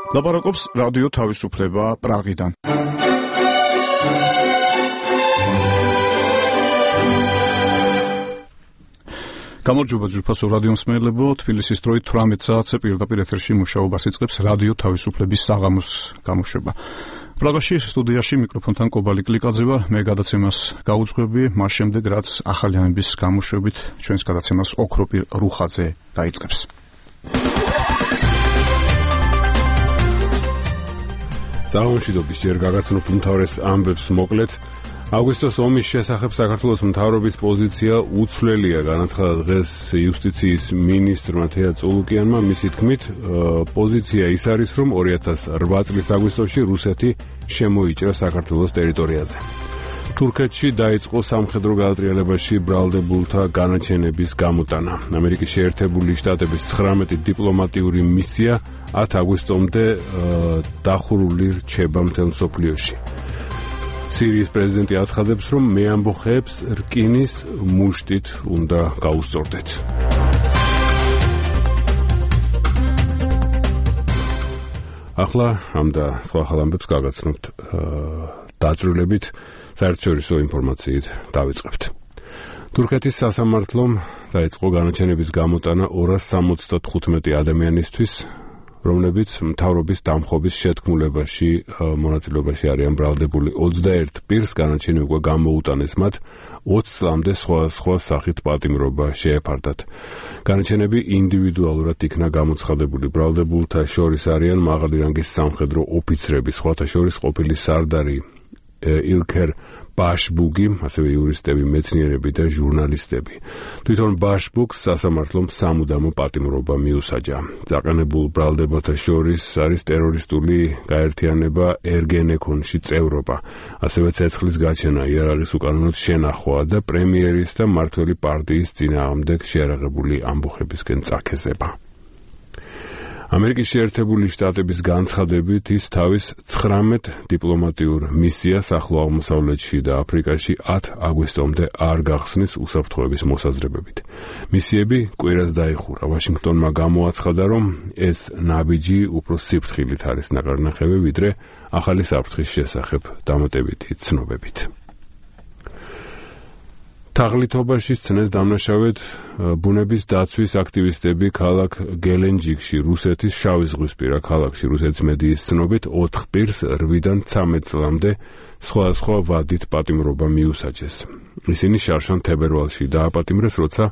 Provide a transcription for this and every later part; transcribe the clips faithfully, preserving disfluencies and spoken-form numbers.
ლაპარაკობს რადიო თავისუფლება პრაღიდან. გამარჯობა ძვირფასო რადიო მსმენელებო, თბილისის დროით თვრამეტ საათზე პირდაპირ ეთერში მუშაობას იწყებს რადიო თავისუფლების საღამოს გამოშვება. პრაღაში სტუდიაში მიკროფონთან კობალი კლიკაძე ვარ, მე გადაცემას გაუძღვები, მას შემდეგ რაც ახალიანების გამოშვებით ჩვენს გადაცემას ოქროპირ რუხაძე დაიწყებს. საღამოშვიდობის ჯერ გაგაცნობთ უმთავრეს ამბებს მოკლედ. აგვისტოს ომის შესახებ საქართველოს მთავრობის პოზიცია უცვლელია, განაცხადა დღეს იუსტიციის მინისტრმა თეა წულუკიანმა. მისი თქმით, პოზიცია ის არის, რომ ორი ათას რვა წლის აგვისტოში რუსეთი შემოიჭრა საქართველოს ტერიტორიაზე. თურქეთში დაიწყო სამხედრო გადატრიალებაში ბრალდებულთა განაჩენების გამოტანა. ამერიკის შეერთებული შტატების ცხრამეტი დიპლომატიური მისია ათ აგვისტომდე დახურული რჩება მთელ მსოფლიოში. სირიის პრეზიდენტი აცხადებს, რომ მეამბოხეებს რკინის მუშტით უნდა გაუსწორდეთ. ახლა ამ და სხვა ახალ ამბებს გაგაცნობთ დაწვრილებით, საერთაშორისო ინფორმაციით დავიწყებთ. თურქეთის სასამართლომ დაიწყო განაჩენების გამოტანა ორას სამოცდათხუთმეტი ადამიანისთვის, რომლებიც მთავრობის დამხობის შეთქმულებაში მონაწილეობაში არიან ბრალდებული. ოცდაერთ პირს განაჩენი უკვე გამოუტანეს მათ, ოცი წლამდე სხვადასხვა სახით პატიმრობა შეეფარდათ. განაჩენები ინდივიდუალურად იქნა გამოცხადებული. ბრალდებულთა შორის არიან მაღალი რანგის სამხედრო ოფიცრები, სხვათა შორის ყოფილი სარდარი ილქერ ბაშბუგი, ასევე იურისტები, მეცნიერები და ჟურნალისტები. თვითონ ბაშბუგს სასამართლომ სამუდამო პატიმრობა მიუსაჯა. დაყენებულ ბრალდებათა შორის არის ტერორისტული გაერთიანება ერგენეკონში წევრობა, ასევე ცეცხლის გაჩენა, იარაღის უკანონოდ შენახვა და პრემიერის და მმართველი პარტიის წინააღმდეგ შეარაღებული ამბოხებისკენ წაქეზება. ამერიკის შეერთებული შტატების განცხადებით ის თავის ცხრამეტ დიპლომატიურ მისიას ახლო აღმოსავლეთში და აფრიკაში ათ აგვისტომდე არ გახსნის უსაფრთხოების მოსაზრებებით. მისიები კვირას დაიხურა. ვაშინგტონმა გამოაცხადა, რომ ეს ნაბიჯი უფრო სიფრთხილით არის ნაკარნახევი, ვიდრე ახალი საფრთხის შესახებ დამატებითი ცნობებით. თაღლითობაში სცნეს დამნაშავედ ბუნების დაცვის აქტივისტები ქალაქ გელენჯიკში, რუსეთის შავიზღვისპირა ქალაქში. რუსეთის მედიის ცნობით ოთხ პირს რვიდან ცამეტ წლამდე სხვადასხვა ვადით პატიმრობა მიუსაჯეს. ისინი შარშან თებერვალში დააპატიმრეს, როცა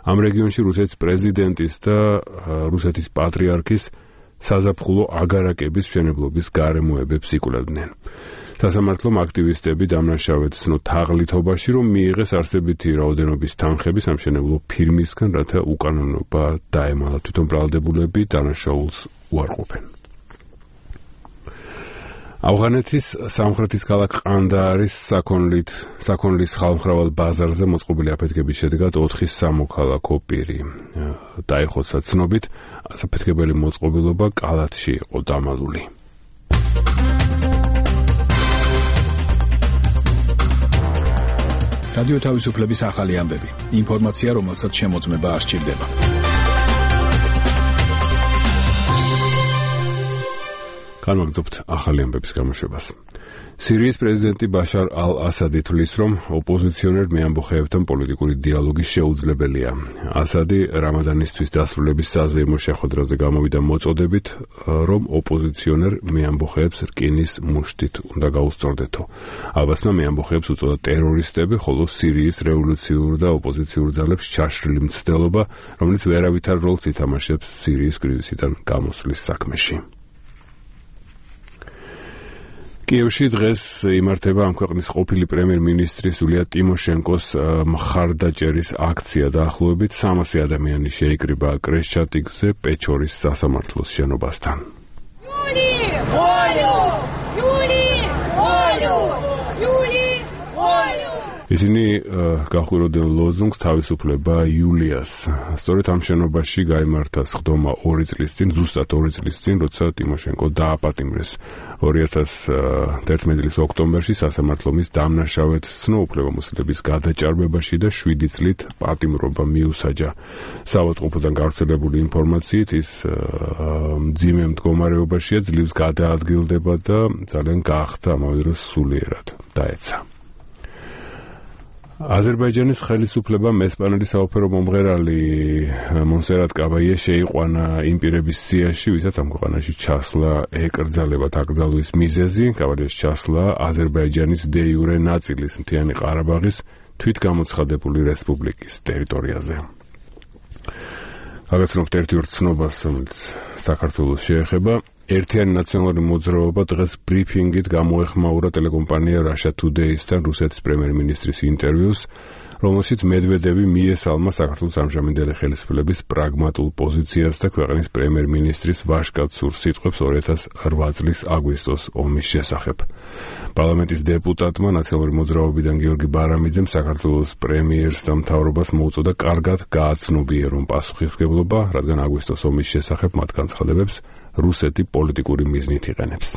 ამ რეგიონში რუსეთის პრეზიდენტის და რუსეთის პატრიარქის საზაფხულო აგარაკების მშენებლობის გარემოებებს იკვლევდნენ. სასამართლომ აქტივისტები დამნაშავედ ცნო თაღლითობაში, რომ მიიღეს არსებითი რაოდენობის თანხები სამშენებლო ფირმისგან, რათა უკანონობა დაემალა. თვითონ ბრალდებულები დანაშაულს უარყოფენ. ავღანეთის სამხრეთის ქალაქ ყანდაარის საქონლით საქონლის ხალხმრავალ ბაზარზე მოწყობილი აფეთქების შედეგად ოთხი სამოქალაქო პირი დაიხოცა. ცნობით, საფეთქებელი მოწყობილობა კალათში იყო დამალული. რადიო თავისუფლების ახალი ამბები. ინფორმაცია, რომელსაც შემოწმება არ სჭირდება. განვაგრძობთ ახალი ამბების გამოშვებას. სირიის პრეზიდენტი ბაშარ ალ-ასადი თვლის, რომ ოპოზიციონერ მეამბოხეებთან პოლიტიკური დიალოგი შეუძლებელია. ასადი რამადანისთვის დასრულების საზეიმო შეხვედრაზე გამოვიდა მოწოდებით, რომ ოპოზიციონერ მეამბოხეებს რკინის მუშტით უნდა გაუსწორდეთო. ალბასმა მეამბოხეებს უწოდა ტერორისტები, ხოლო სირიის რევოლუციურ და ოპოზიციურ ძალებს ჩაშრილი მცდელობა, რომელიც ვერავითარ როლს ითამაშებს სირიის კრიზისიდან გამოსვლის საქმეში. კიევში დღეს იმართება ამ ქვეყნის ყოფილი პრემიერ-მინისტრის იულია ტიმოშენკოს მხარდაჭერის აქცია. დაახლოებით სამასი ადამიანი შეიკრიბა კრეშჩატიკზე პეჩორის სასამართლოს შენობასთან. ისინი გახვიროდნენ ლოზუნგს თავისუფლება იულიას. სწორედ ამ შენობაში გაიმართა სხდომა ორი წლის წინ, ზუსტად ორი წლის წინ, როცა ტიმოშენკო დააპატიმრეს. ორი ათას ერთმეტი წლის ოქტომბერში სასამართლომ ის დამნაშავედ სცნო უფლებამოსილების გადაჭარბებაში და შვიდი წლით პატიმრობა მიუსაჯა. საავადმყოფოდან გავრცელებული ინფორმაციით ის მძიმე მდგომარეობაშია, ძლივს გადაადგილდება და ძალიან გაახდა ამავე დროს სულიერად დაეცა. აზერბაიჯანის ხელისუფლებამ ესპანელი საოფერო მომღერალი მონსერატ კაბაიე შეიყვანა იმ პირების სიაში, ვისაც ამ ქვეყანაში ჩასვლა ეკრძალებათ აკრძალვის მიზეზი. კაბაიეს ჩასვლა აზერბაიჯანის დე იურე ნაწილის მთიანი ყარაბაღის თვითგამოცხადებული რესპუბლიკის ტერიტორიაზე. გაგაცნობთ ერთი ორ ცნობას, რომელიც საქართველოს შეეხება. ერთიანი ნაციონალური მოძრაობა დღეს ბრიფინგით გამოეხმაურა ტელეკომპანია Russia Today-სთან რუსეთის პრემიერ-მინისტრის ინტერვიუს, რომელშიც მედვედევი მიესალმა საქართველოს ამჟამინდელი ხელისუფლების პრაგმატულ პოზიციას და ქვეყნის პრემიერ-მინისტრის ვაჟკაცურ სიტყვებს ორი ათას ოთხ წლის აგვისტოს ომის შესახებ. პარლამენტის დეპუტატმა ნაციონალური მოძრაობიდან გიორგი ბარამიძემ საქართველოს პრემიერს და მთავრობას მოუწოდა კარგად გააცნობიერონ პასუხისმგებლობა, რადგან აგვისტოს ომის შესახებ მათ განცხადებებს რუსეთი პოლიტიკური მიზნით იყენებს.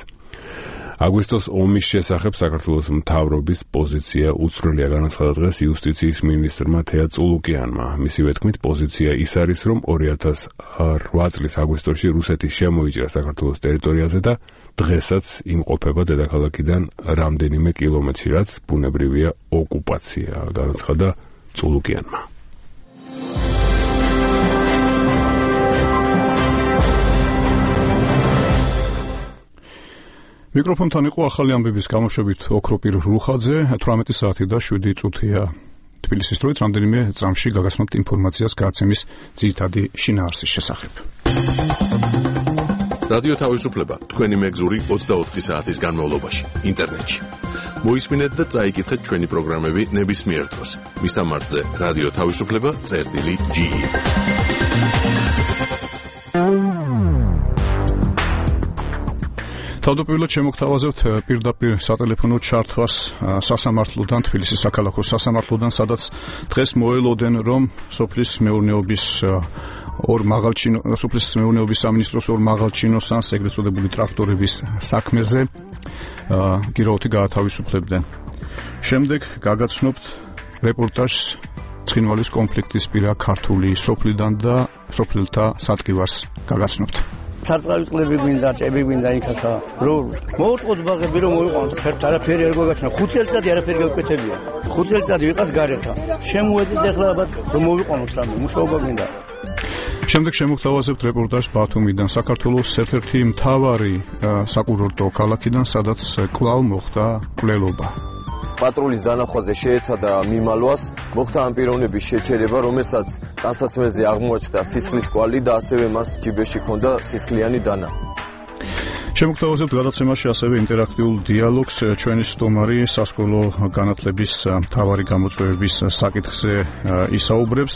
აგვისტოს ომის შესახებ საქართველოს მთავრობის პოზიცია უცვლელია, განაცხადა დღეს იუსტიციის მინისტრმა თეა წულუკიანმა. მისივე თქმით, პოზიცია ის არის, რომ ორი ათას ოთხ წლის აგვისტოში რუსეთი შემოიჭრა საქართველოს ტერიტორიაზე და დღესაც იმყოფება დედაქალაქიდან რამდენიმე კილომეტრში, რაც ბუნებრივია ოკუპაცია, განაცხადა წულუკიანმა. მიკროფონთან იყო ახალი ამბების გამოშვებით ოქროპირ რუხაძე, თვრამეტი საათი და შვიდი წუთია. თბილისის დროით რამდენიმე წამში გაგაცნობთ ინფორმაციას გადაცემის ძირითადი შინაარსის შესახებ. რადიო თავისუფლება თქვენი მეგზური ოცდაოთხი საათის განმავლობაში ინტერნეტში. მოისმინეთ და წაიკითხეთ ჩვენი პროგრამები ნებისმიერ დროს. მისამართზე რადიო თავისუფლება წერტილი ჯი ი. თავდაპირველად შემოგთავაზებთ პირდაპირ სატელეფონო ჩართვას სასამართლოდან, თბილისის საქალაქო სასამართლოდან, სადაც დღეს მოელოდენ, რომ სოფლის მეურნეობის ორ მაღალჩინო სოფლის მეურნეობის სამინისტროს ორ მაღალჩინოსანს ეგრეთ წოდებული ტრაქტორების საქმეზე გირაოთი გაათავისუფლებდნენ. შემდეგ გაგაცნობთ რეპორტაჟს ცხინვალის კონფლიქტის პირა ქართული სოფლიდან და სოფლელთა სატკივარს გაგაცნობთ. სარწყავი წყლები გვინდა, ჭები გვინდა იქასა. რო მოუწყოთ ბაღები რომ მოიყვანოთ, საერთოდ არაფერი არ გვაგაჩნა. ხუთი წელი არაფერი გავკეთებია. ხუთი წელი ვიყავს გარეთა. შემოედით ახლა ალბათ რომ მოიყვანოთ რამე, მუშაობა გვინდა. შემდეგ შემოგთავაზებთ რეპორტაჟს ბათუმიდან, საქართველოს ერთ-ერთი მთავარი საკურორტო ქალაქიდან, სადაც კვლავ მოხდა მკვლელობა. პატრულის დანახვაზე შეეცადა მიმალვას, მოხდა ამ პიროვნების შეჩერება, რომელსაც ტანსაცმელზე აღმოაჩნდა სისხლის კვალი და ასევე მას ჯიბეში ჰქონდა სისხლიანი დანა. შემოგთავაზებთ გადაცემაში ასევე ინტერაქტიულ დიალოგს ჩვენი სტუმარი სასკოლო განათლების მთავარი გამოწვევების საკითხზე ისაუბრებს.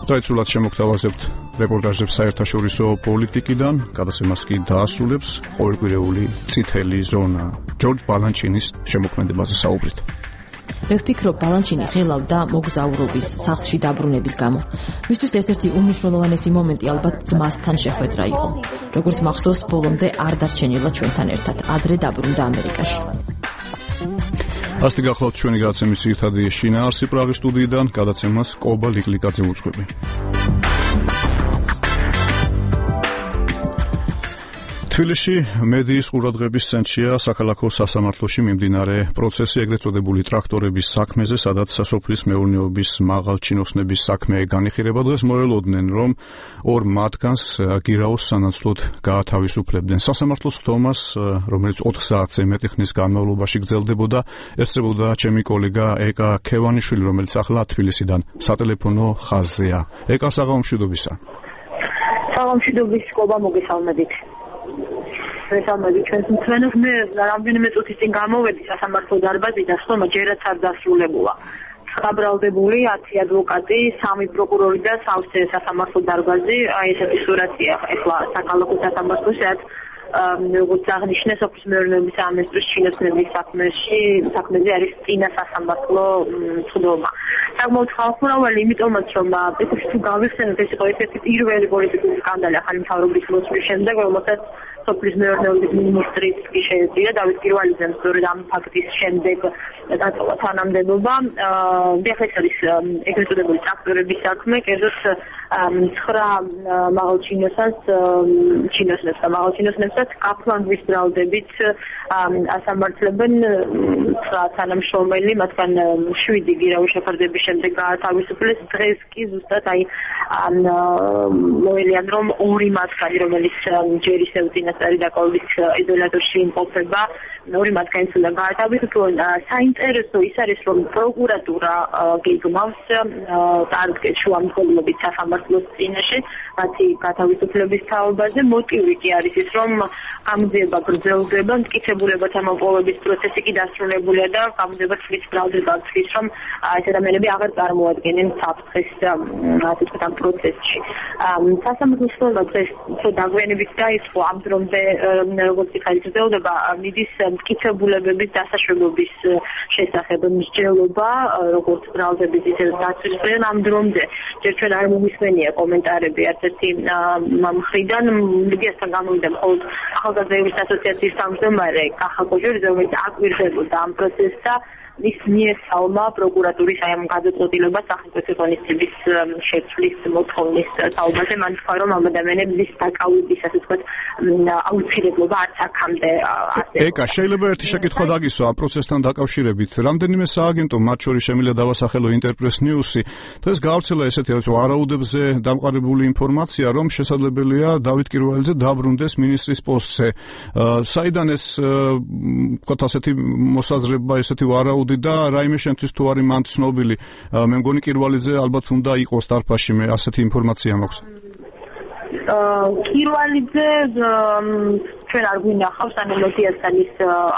დაიცულად შემოგთავაზებთ რეპორტაჟებს საერთაშორისო პოლიტიკიდან, გადაცემას კი დაასრულებს ყოველკვირეული წითელი ზონა. ჯორჯ ბალანჩინის შემოქმედებაზე საუბრით. მე ვფიქრობ, ბალანჩინი ღელავდა მოგზაურობის, სახლში დაბრუნების გამო. მისთვის ერთ-ერთი უმნიშვნელოვანესი მომენტი ალბათ ძმასთან შეხვედრა იყო. როგორც მახსოვს, ბოლომდე არ დარჩენილა ჩვენთან ერთად, ადრე დაბრუნდა ამერიკაში. ასეთი გახლავთ ჩვენი გადაცემის ძირითადი შინაარსი პრაღის სტუდიიდან, გადაცემას კობა ლიკლიკაძე უძღვები. თბილისში მედიის ყურადღების ცენტრშია საქალაქო სასამართლოში მიმდინარე პროცესი ეგრეთ წოდებული ტრაქტორების საქმეზე, სადაც სოფლის მეურნეობის მაღალჩინოსნების საქმე განიხილება. დღეს მოელოდნენ, რომ ორ მათგანს გირაოს სანაცვლოდ გაათავისუფლებდნენ. სასამართლოს ხდომას, რომელიც ოთხ საათზე მეტი ხნის განმავლობაში გრძელდებოდა, ესწრებოდა ჩემი კოლეგა ეკა ქევანიშვილი, რომელიც ახლა თბილისიდან სატელეფონო ხაზზეა. ეკა, საღამომშვიდობისა. საღამომშვიდობის, კობა, მოგესალმებით. მესამედი ჩვენს მსმენელს მე რამდენიმე წუთის წინ გამოვედი სასამართლო დარბაზიდან, ხომ ჯერაც არ დასრულებულა. გაბრალდებული ათი ადვოკატი, სამი პროკურორი და სავსე სასამართლო დარბაზი, აი ესეთი სურათია ახლა საქალაქო სასამართლოში, რაც როგორც აღნიშნე სოფლის მეურნეობის სამინისტროს ჩინოსნების საქმეში საქმეზე არის წინა სასამართლო წყობა. საკმაოდ ხალხმრავალი იმიტომაც რომ პრინციპში თუ გავიხსენოთ ეს იყო ერთ-ერთი პირველი პოლიტიკური სკანდალი ახალი მთავრობის მოსვლის შემდეგ, რომელსაც სოფლის მეურნეობის მინისტრიც კი შეეწირა დავით კირვალიძემ სწორედ ამ ფაქტის შემდეგ დატოვა თანამდებობა. ეხლა ეს არის ეგრეთ წოდებული ტრაქტორების საქმე, კერძოდ ცხრა მაღალჩინოსანს ჩინოსნებს და მაღალჩინოსნებსაც კაფლანგვის ბრალდებით ასამართლებენ ცხრა თანამშრომელი, მათგან შვიდი გირავის შეფარდების შემდეგ გაათავისუფლეს. დღეს კი ზუსტად აი მოელიან რომ ორი მათგანი, რომელიც ჯერ ისევ წინასწარი დაკავების იზოლატორში იმყოფება, ორი მათგანიც უნდა გაათავისუფლონ. საინტერესო ის არის რომ პროკურატურა გეგმავს წარდგეს შუამდგომლობით სასამართლოს წინაშე მათი გათავისუფლების თაობაზე. მოტივი კი არის ის რომ გამოძიება გრძელდება, მტკიცებულებათა მოპოვების პროცესი კი დასრულებულია და გამოძიება თვლის ბრალდება თვლის რომ ეს ადამიანები აღარ წარმოადგენენ საფრთხეს ასე ვთქვათ ამ პროცესში. სასამართლოს სხდომა დღეს უფრო დაგვიანებით დაიწყო ამ დრომდე როგორც იქ გრძელდება მიდის მტკიცებულებების დასაშვებობის შესახებ მსჯელობა, როგორც ბრალდების ისე დაცვისგან ამ დრომდე ჯერ ჩვენ არ მომისმენია კომენტარები ერთ-ერთი მხრიდან. მედიასთან გამოვიდა მხოლოდ ახალგაზრდების ასოციაციის თავმჯდომარე კახა კოჟორიძე, რომელიც აკვირდებოდა ამ პროცესს და ის მიესალმა პროკურატურის აი ამ გადაწყვეტილებას სახელმწიფო ღონისძიების შეცვლის მოთხოვნის თაობაზე. მან თქვა რომ ამ ადამიანების დაკავების ასე ვთქვათ აუცილებლობა არც აქამდე ასე. ეკა, შეიძლება ერთი შეკითხვა დაგისვა ამ პროცესთან დაკავშირებით. რამდენიმე სააგენტო, მათ შორის შემიძლია დავასახელო ინტერპრეს ნიუსი, დღეს გავრცელა ესეთი რაც ვარაუდებზე დამყარებული ინფორმაცია, რომ შესაძლებელია დავით კირვალიძე დაბრუნდეს მინისტრის პოსტზე. საიდან ეს ვთქვათ ასეთი მოსაზრება, ესეთი ვარაუდი და რაიმე შენთვის თუ არის მან ცნობილი, მე მგონი კირვალიძე ალბათ უნდა იყოს დარფაში, მე ასეთი ინფორმაცია მაქვს. კირვალიძე ჩვენ არ გვინახავს, ანუ მედიასთან ის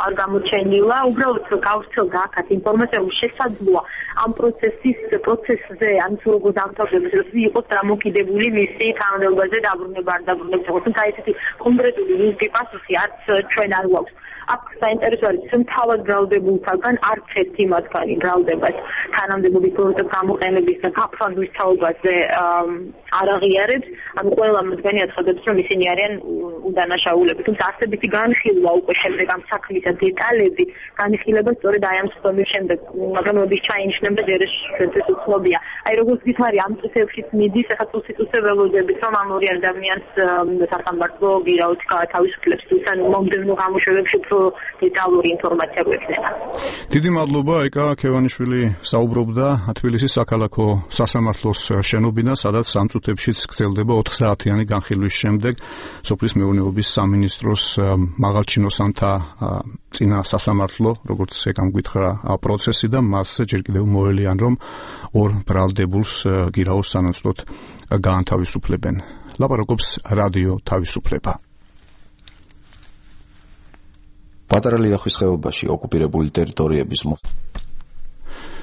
არ გამოჩენილა, უბრალოდ გავრცელდა აქაც ინფორმაცია, რომ შესაძლოა ამ პროცესის პროცესზე, ან თუ როგორ დამთავრდება, იყოს დამოკიდებული მისი თანამდებობაზე დაბრუნება არ დაბრუნება, თუმცა ესეთი კონკრეტული ლინკი პასუხი არც ჩვენ არ გვაქვს. აქ საინტერესო არის ის, რომ თავად ბრალდებულთაგან არც ერთი მათგანი ბრალდებას თანამდებობის პროექტ გამოყენების და გაფრანგვის თაობაზე არ აღიარებს. ანუ ყველა მათგანი აცხადებს, რომ ისინი არიან უდანაშაულები. თუმცა არსებითი განხილვა უკვე შემდეგ ამ საქმისა დეტალები განხილება სწორედ აი ამ სხდომის შემდეგ, მაგრამ როდის ჩაინიშნება ჯერ ეს ჩვენთვის უცნობია. აი როგორც გითხარი, ამ წესებშიც მიდის, ახლა წუსიწუსე ველოდებით, რომ ამ ორი ადამიანს სასამართლო გირაოთი გაათავისუფლებს, თუმცა მომდევნო გამოშვებებში დეტალური ინფორმაცია გვექნება. დიდი მადლობა, ეკა ქევანიშვილი საუბრობდა თბილისის საქალაქო სასამართლოს შენობიდან, სადაც სამ წუთებშიც გრძელდება ოთხ საათიანი განხილვის შემდეგ სოფლის მეურნეობის სამინისტროს მაღალჩინოსანთა წინა სასამართლო, როგორც ეკამ გითხრა, პროცესი და მასზე ჯერ კიდევ მოელიან, რომ ორ ბრალდებულს გირაოს სანაცვლოდ გაანთავისუფლებენ. ლაპარაკობს რადიო თავისუფლება. პატარა ლიახვის ხეობაში ოკუპირებული ტერიტორიების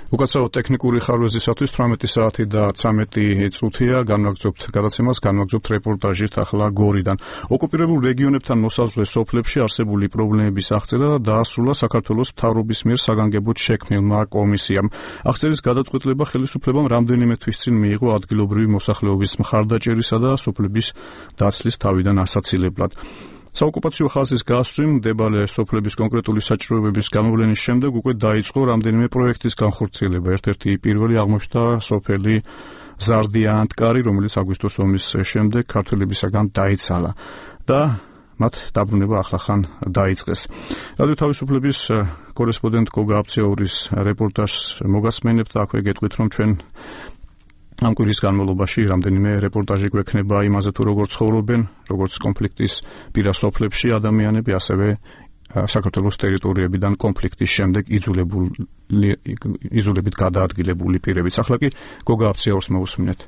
უკაცრავ ტექნიკური ხარვეზისათვის თვრამეტი საათი და ცამეტი წუთია განვაგრძობთ გადაცემას, განვაგრძობთ რეპორტაჟით ახლა გორიდან. ოკუპირებულ რეგიონებთან მოსაზღვრე სოფლებში არსებული პრობლემების აღწერა და დაასრულა საქართველოს მთავრობის მიერ საგანგებოდ შექმნილმა კომისიამ. აღწერის გადაწყვეტილება ხელისუფლებამ რამდენიმე თვის წინ მიიღო ადგილობრივი მოსახლეობის მხარდაჭერისა და სოფლების დაცლის თავიდან ასაცილებლად. საოკუპაციო ხაზის გასვამ დებალე სოფლების კონკრეტული საჭიროებების გამოვლენის შემდეგ უკვე დაიწყო რამდენიმე პროექტის განხორციელება. ერთ-ერთი პირველი აღმოჩნდა სოფელი ზარდია-ანტკარი, რომელიც აგვისტოს ომის შემდეგ ქართველებისაგან დაიცალა და მათ დაბრუნება ახლახან დაიწყეს. რადიო თავისუფლების კორესპონდენტ გოგა აფცეურის რეპორტაჟს მოგასმენებთ და აქვე გეტყვით, რომ ჩვენ ამ კვირის განმავლობაში რამდენიმე რეპორტაჟი გვექნება იმაზე თუ როგორ ცხოვრობენ, როგორც კონფლიქტის პირა სოფლებში ადამიანები, ასევე საქართველოს ტერიტორიებიდან კონფლიქტის შემდეგ იძულებით გადაადგილებული პირებიც. ახლა კი გოგა აფცეურს მოусმინეთ.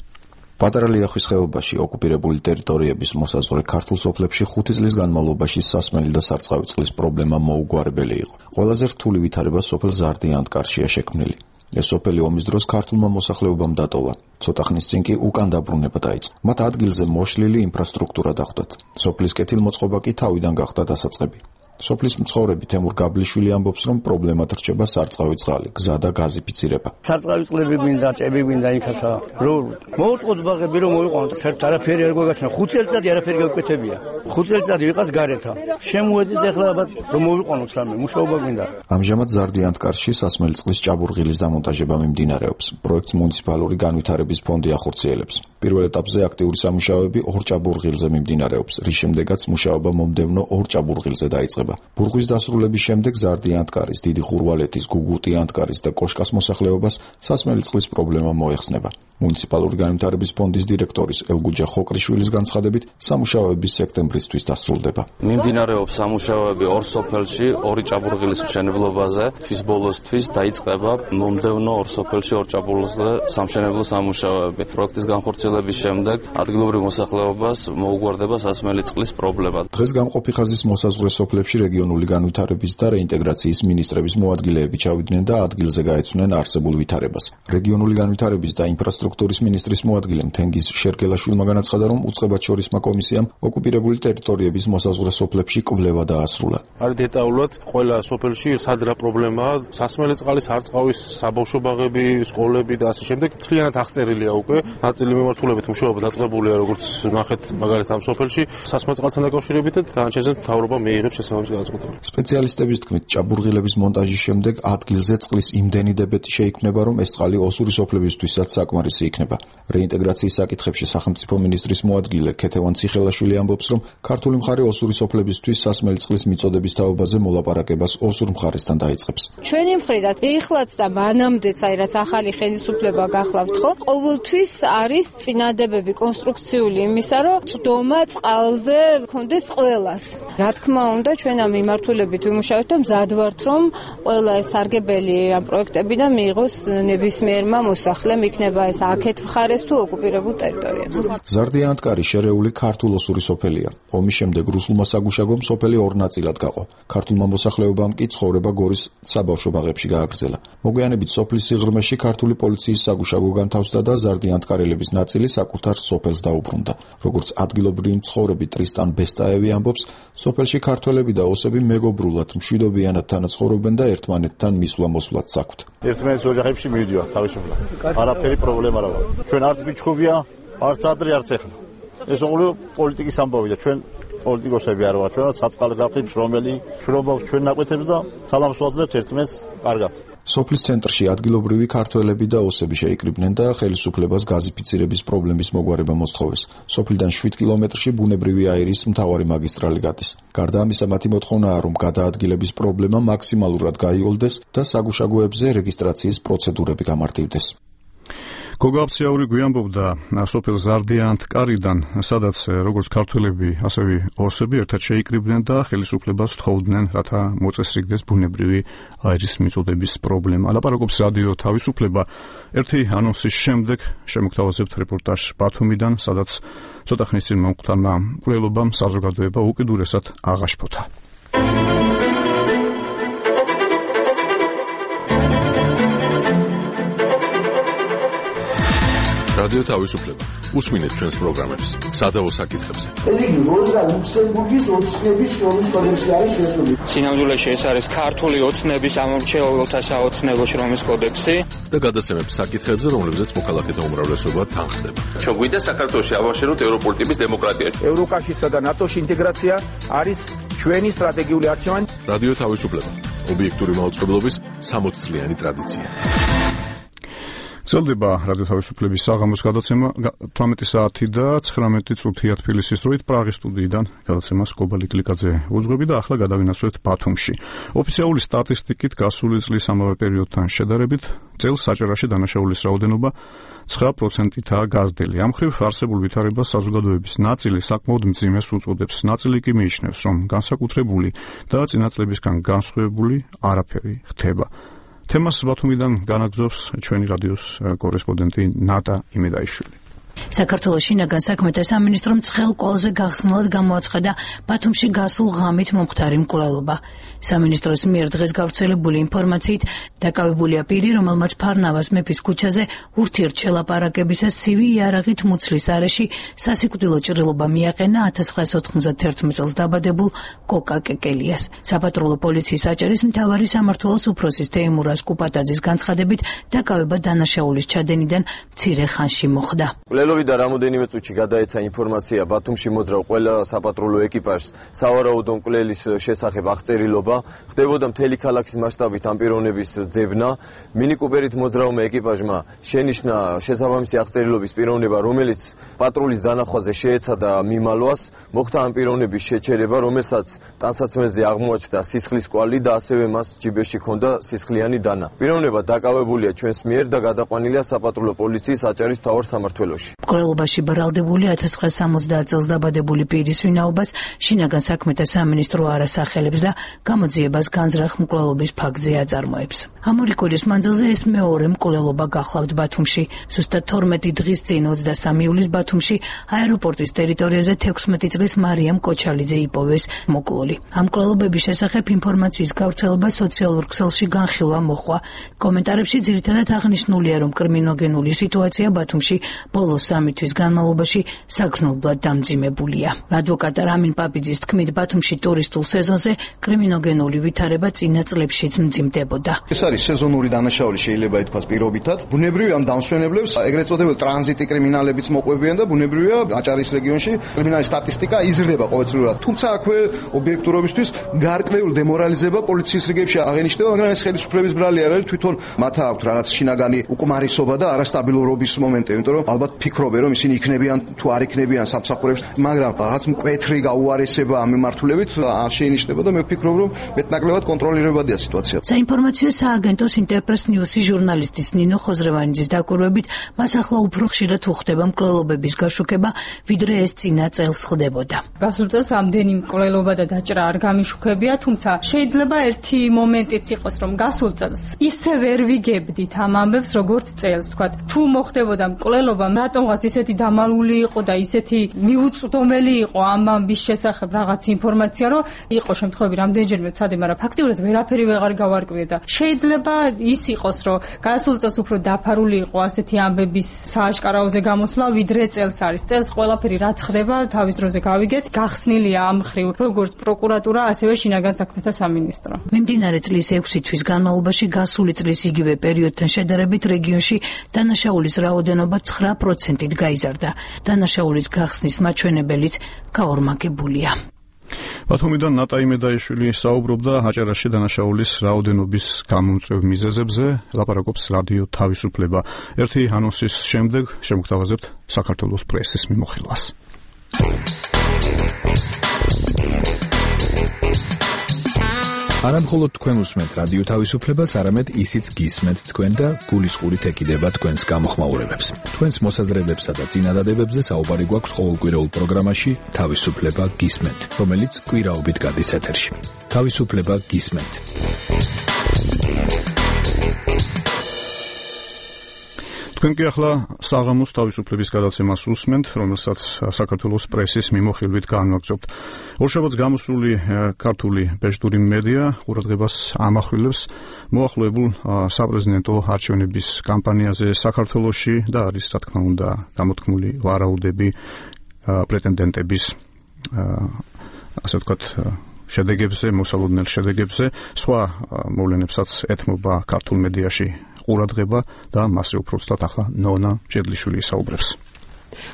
პატარა ლიახვის ხეობაში ოკუპირებული ტერიტორიების მოსაზღვრე ქართულ სოფლებში ხუთი წლის განმავლობაში სასმელი და სარწყავი წყლის პრობლემა მოუგვარებელი იყო. ყველაზე რთული ვითარება სოფელ ზარდია-ანტკარშია შექმნილი. ეს სოფელი ომის დროს ქართულმა მოსახლეობამ დატოვა. ცოტა ხნის წინ კი უკან დაბრუნება დაიწყო. მათ ადგილზე მოშლილი ინფრასტრუქტურა დახვდათ. სოფლის კეთილმოწყობა კი თავიდან გახდა დასაწყები. სოფლის მცხოვრები თემურ გაბლიშვილი ამბობს, რომ პრობლემად რჩება სარწყავი წყალი, გზა და გაზიფიცირება. სარწყავი წყლები გვინდა, ჭები გვინდა იქასა. რომ მოუწყოთ ბაღები რომ მოიყვანოთ, საერთოდ არაფერი არ გვაგაჩნია. ხუთ წელიწადი არაფერი გავკვეთებია. ხუთ წელიწადი ვიყავს გარეთა. შემოედით ახლა ალბათ რომ მოიყვანოთ რამე, მუშაობა გვინდა. ამჟამად ზარდიანთკარში სასმელი წყლის ჭაბურღილის დამონტაჟება მიმდინარეობს. პროექტს მუნიციპალური განვითარების ფონდი ახორციელებს. პირველ ეტაპზე აქტიური სამუშაოები ორ ჭაბურღილზე მიმდინარეობს, რის შემდეგაც მუშაობა მომდევნო ორ ჭაბურღილზე დაიწყება. ბურღვის დასრულების შემდეგ ზარდიანთკარის, დიდი ხურვალეთის, გუგუტიანთკარის და კოშკას მოსახლეობას სასმელი წყლის პრობლემა მოეხსნება. მუნიციპალური განვითარების ფონდის დირექტორის ელგუჯა ხოკრიშვილის განცხადებით, სამუშაოები სექტემბრისთვის დასრულდება. მიმდინარეობს სამუშაოები ორ სოფელში, ორი ჭაბურღილის მშენებლობაზე. თვის ბოლოსთვის დაიწყება მომდევნო ორ სოფელში ორ ჭაბურღილზე სამშენებლო სამუშაოები. პროექტის განხორციელების შემდეგ ადგილობრივ მოსახლეობას მოუგვარდება სასმელი წყლის პრობლემა. დღეს გამყოფი ხაზის მოსაზღვრე სოფლებში რეგიონული განვითარების და რეინტეგრაციის მინისტრების მოადგილეები ჩავიდნენ და ადგილზე გაეცნენ არსებულ ვითარებას. რეგიონული განვითარების და ინფრასტრუქტურის მინისტრის მოადგილემ თენგიზ შერგელაშვილმა განაცხადა, რომ უწყებაჩორისმა კომისიამ ოკუპირებული ტერიტორიების მოსაზღვრე სოფლებში კვლევა დაასრულა. არის დეტალურად ყველა სოფელში სად რა პრობლემაა, სასმელი წყალის, სარწყავის, საბავშვო ბაღები, სკოლები და ასე შემდეგ. მთლიანად აღწერილია უკვე. ნაწილი მიმართულებით მუშაობა დაწყებულია, როგორც ნახეთ, მაგალითად ამ სოფელში სასმელ წყალთან დაკავშირებით და განაჩენზე მთავრობა მიიღებს შესაბამის გადაწყვეტილებას. სპეციალისტების თქმით, ჭაბურღილების მონტაჟის შემდეგ ადგილზე წყლის იმდენი დებეტი შეიქმნება, რომ ეს წყალი ოსური სოფლებისთვისაც საკმარისი იქნება. რეინტეგრაციის საკითხებში სახელმწიფო მინისტრის მოადგილე ქეთევან ციხელაშვილი ამბობს, რომ ქართული მხარე ოსური სოფლებისთვის სასმელი წყლის მიწოდების თაობაზე მოლაპარაკებას ოსურ მხარესთან დაიწყებს. ჩვენი მხრიდან ეხლაც და მანამდეც, აი რაც ახალი ხელისუფლება გახლავთ ხო, ყოველთვის არის წინადებები კონსტრუქციული იმისა, რომ წვდომა წყალზე მქონდეს ყველას. რა თქმა უნდა, ჩვენ ამ მიმართულებით ვიმუშავებთ და მზად ვართ, რომ ყველა ეს სარგებელი ამ პროექტებიდან მიიღოს ნებისმიერმა მოსახლემ, იქნება ეს აქეთ მხარეს თუ ოკუპირებულ ტერიტორიებზე. ზარდიანთკარი შერეული ქართულ-ოსური სოფელია. ომის შემდეგ რუსულმა საგუშაგომ სოფელი ორ ნაწილად გაყო. ქართულმა მოსახლეობამ კი ცხოვრება გორის საბავშვო ბაღებში გააგრძელა. მოგვიანებით სოფლის სიღრმეში ქართული პოლიციის საგუშაგო განთავსდა და ზარდიანთკარელების ნაწილი საკუთარ სოფელს დაუბრუნდა. როგორც ადგილობრივი მცხოვრები ტრისტან ბესტაევი ამბობს, სოფელში ქართველები და ოსები მეგობრულად, მშვიდობიანად თანაცხოვრობენ და ერთმანეთთან მისვლა-მოსვლად საქვთ. ერთმანეთის ოჯახებში მივიდივართ თავისუფლად. არაფერი პრობლემა არ აქვს. ჩვენ არც გიჩხუბია, არც ადრე, არც ეხლა. ეს ოღონდ პოლიტიკის ამბავია. ჩვენ პოლიტიკოსები არ ვართ, ჩვენ საწყალი გაფრთხილ შრომელი, შრომობ ჩვენ ნაკვეთებს და სალამს ვაძლევთ ერთმანეთს კარგად. სოფლის ცენტრში ადგილობრივი ქართველები და ოსები შეიკრიბნენ და ხელისუფლებას გაზიფიცირების პრობლემის მოგვარება მოსთხოვეს. სოფლიდან შვიდ კილომეტრში ბუნებრივი აირის მთავარი მაგისტრალი გადის. გარდა ამისა, მათი მოთხოვნაა, რომ გადაადგილების პრობლემა მაქსიმალურად გაიოლდეს და საგუშაგოებზე რეგისტრაციის პროცედურები გამარტივდეს. გოგა აფციაური გვიამბობდა სოფელ ზარდიანთკარიდან, სადაც როგორც ქართველები, ასევე ოსები ერთად შეიკრიბნენ და ხელისუფლებას თხოვდნენ, რათა მოწესრიგდეს ბუნებრივი აირის მიწოდების პრობლემა. ლაპარაკობს რადიო თავისუფლება. ერთი ანონსის შემდეგ შემოგთავაზებთ რეპორტაჟ ბათუმიდან, სადაც ცოტა ხნის წინ მომხდარმა მკვლელობამ საზოგადოება უკიდურესად აღაშფოთა. რადიო თავისუფლება. უსმინეთ ჩვენს პროგრამებს სადავო საკითხებზე. ეს იგი როზა ლუქსემბურგის ოცნების შრომის კოდექსში არის შესული. სინამდვილეში ეს არის ქართული ოცნების ამორჩეულთა საოცნებო შრომის კოდექსი და გადაცემებს საკითხებზე, რომლებზეც მოქალაქეთა უმრავლესობა თანხდება. ჩვენ გვინდა საქართველოში ავაშენოთ ევროპული ტიპის დემოკრატია. ევროკავშირსა და ნატოს ინტეგრაცია არის ჩვენი სტრატეგიული არჩევანი. რადიო თავისუფლება. ობიექტური მაუწყებლობის სამოც წლიანი ტრადიცია. გრძელდება რადიო თავისუფლების საღამოს გადაცემა თვრამეტი საათი და ცხრამეტი წუთია თბილისის დროით. პრაღის სტუდიიდან გადაცემას კობალი კლიკაძე უძღვები და ახლა გადავინაცვლეთ ბათუმში. ოფიციალური სტატისტიკით გასული წლის ამავე პერიოდთან შედარებით წელს საჭერაში დანაშაულის რაოდენობა ცხრა პროცენტითაა გაზრდილი. ამ მხრივ არსებულ ვითარებას საზოგადოების ნაწილი საკმაოდ მძიმეს უწოდებს. ნაწილი კი მიიჩნევს, რომ განსაკუთრებული და წინა წლებისგან განსხვავებული არაფერი ხდება. თემას ბათუმიდან განაგზობს ჩვენი რადიოს კორესპონდენტი ნატა იმედაიშვილი. საქართველოს შინაგან საქმეთა სამინისტრომ ცხელ კვალზე გახსნილად გამოაცხადა ბათუმში გასულ ღამით მომხდარი მკვლელობა. სამინისტროს მიერ დღეს გავრცელებული ინფორმაციით დაკავებულია პირი, რომელმაც ფარნავას მეფის ქუჩაზე ურთიერთშელაპარაკებისას ცივი იარაღით მუცლის არეში სასიკვდილო ჭრილობა მიაყენა ათას ცხრაას ოთხმოცდათერთმეტ წელს დაბადებულ კოკა კეკელიას. საპატრულო პოლიციის აჭარის მთავარი სამმართველოს უფროსის თეიმურაზ კუპატაძის განცხადებით დაკავება დანაშაულის ჩადენიდან მცირე ხანში მოხდა. მკვლელობიდან რამოდენიმე წუთში გადაეცა ინფორმაცია ბათუმში მოძრავ ყველა საპატრულო ეკიპაჟს სავარაუდო მკვლელის შესახებ აღწერილობა, ხდებოდა მთელი ქალაქის მასშტაბით ამ პიროვნების ძებნა. მინი კუპერით მოძრავმა ეკიპაჟმა შენიშნა შესაბამისი აღწერილობის პიროვნება, რომელიც პატრულის დანახვაზე შეეცადა მიმალვას, მოხდა ამ პიროვნების შეჩერება, რომელსაც ტანსაცმელზე აღმოაჩნდა სისხლის კვალი და ასევე მას ჯიბეში ჰქონდა სისხლიანი დანა. პიროვნება დაკავებულია ჩვენს მიერ და გადაყვანილია საპატრულო პოლიციის აჭარის მთავარ სამმართველოში. მკვლელობაში ბრალდებული ათას ცხრაას სამოცდაათ წელს დაბადებული პირის ვინაობას შინაგან საქმეთა სამინისტრო არ ასახელებს და გამოძიებას განზრახ მკვლელობის ფაქტზე აწარმოებს. ამორიკოლის მანძილზე ეს მეორე მკვლელობა გახლავთ ბათუმში. ზუსტად თორმეტი დღის წინ ოცდასამი ივლისს ბათუმში აეროპორტის ტერიტორიაზე თექვსმეტი წლის მარიამ კოჩალიძე იპოვეს მოკლული. ამ მკვლელობების შესახებ ინფორმაციის გავრცელება სოციალურ ქსელში განხილვა მოჰყვა. კომენტარებში ძირითადად აღნიშნულია, რომ კრიმინოგენული სიტუაცია ბათუმში ბოლო სამი თვის განმავლობაში საგრძნობლად დამძიმებულია. ადვოკატ რამინ პაპიძის თქმით, ბათუმში ტურისტულ სეზონზე კრიმინოგენული ვითარება წინა წლებშიც მძიმდებოდა. ეს არის სეზონური დანაშაული, შეიძლება ითქვას პირობითად. ბუნებრივია ამ დამსვენებლებს ეგრეთ წოდებულ ტრანზიტი კრიმინალებიც მოყვებიან და ბუნებრივია აჭარის რეგიონში კრიმინალის სტატისტიკა იზრდება ყოველწლიურად. თუმცა აქვე ობიექტურობისთვის გარკვეული დემორალიზება პოლიციის რიგებში აღენიშნება, მაგრამ ეს ხელისუფლების ბრალი არ არის, თვითონ მათ აქვთ რაღაც შინაგანი უკმარისობა და არასტაბილურობის მომენტი, იმიტომ რომ ალბათ ფიქრობენ, რომ ისინი იქნებიან თუ არ იქნებიან სამსახურებში, მაგრამ რაღაც მკვეთრი გაუარესება ამ მიმართულებით არ შეინიშნება და მე ვფიქრობ, რომ მეტნაკლებად კონტროლირებადია სიტუაცია. საინფორმაციო სააგენტოს ინტერპრეს ნიუსის ჟურნალისტის ნინო ხოზრევანიძის დაკვირვებით, მას ახლა უფრო ხშირად უხდება მკვლელობების გაშუქება, ვიდრე ეს წინა წელს ხდებოდა. გასულ წელს ამდენი მკვლელობა და დაჭრა არ გამიშუქებია, თუმცა შეიძლება ერთი მომენტიც იყოს, რომ გასულ წელს ისე ვერ ვიგებდით ამ ამბებს, როგორც წელს, თქვათ, თუ მოხდებოდა მკვლელობა, რატომღაც ისეთი დამალული იყო და ისეთი მიუწვდომელი იყო ამ ამბის შესახებ რაღაც ინფორმაცია, რომ იყო შემთხვევები რამდენჯერმე ვცადე, მაგრამ ფაქტიურად ვერაფერი ვეღარ გავარკვიე და შეიძლება ის იყოს, რომ გასულ წელს უფრო დაფარული იყო ასეთი ამბების სააშკარაოზე გამოსვლა, ვიდრე წელს არის. წელს ყველაფერი რაც ხდება, თავის დროზე გავიგეთ, გახსნილია ამ ხრივ როგორც პროკურატურა, ასევე შინაგან საქმეთა სამინისტრო. მიმდინარე წლის ექვსი თვის განმავლობაში გასული წლის იგივე პერიოდთან შედარებით რეგიონში დანაშაულის რაოდენობა ცხრა პროცენტით გაიზარდა. დანაშაულის გახსნის მაჩვენებელიც გაორმაგებულია. ბათუმიდან ნატაი მედაიშვილი საუბრობდა აჭარაში დანაშაულის რაოდენობის გამომწვევ მიზეზებზე, ლაპარაკობს რადიო თავისუფლება. ერთი ანონსის შემდეგ შემოგთავაზებთ საქართველოს პრესის მიმოხილვას. არა მხოლოდ თქვენ უსმენთ რადიო თავისუფლებას, არამედ ისიც გისმენთ თქვენ და გულისყურით ეკიდება თქვენს გამოხმაურებებს. თქვენს მოსაზრებებსა და წინადადებებზე საუბარი გვაქვს ყოველკვირეულ პროგრამაში თავისუფლება გისმენთ, რომელიც კვირაობით გადის ეთერში. თავისუფლება გისმენთ. თქვენ კი ახლა საღამოს თავისუფლების გადაცემას უსმენთ, რომელსაც საქართველოს პრესის მიმოხილვით განვაგრძობთ. ორშაბათს გამოსული ქართული ბეჭდური მედია ყურადღებას ამახვილებს მოახლოებულ საპრეზიდენტო არჩევნების კამპანიაზე საქართველოში და არის, რა თქმა უნდა, გამოთქმული ვარაუდები პრეტენდენტების, ასე ვთქვათ, შედეგებზე, მოსალოდნელ შედეგებზე. სხვა მოვლენებსაც ეთმობა ქართულ მედიაში ყურადღება და მასზე უფრო ცუდად ახლა ნონა ჭედლიშვილი ისაუბრებს.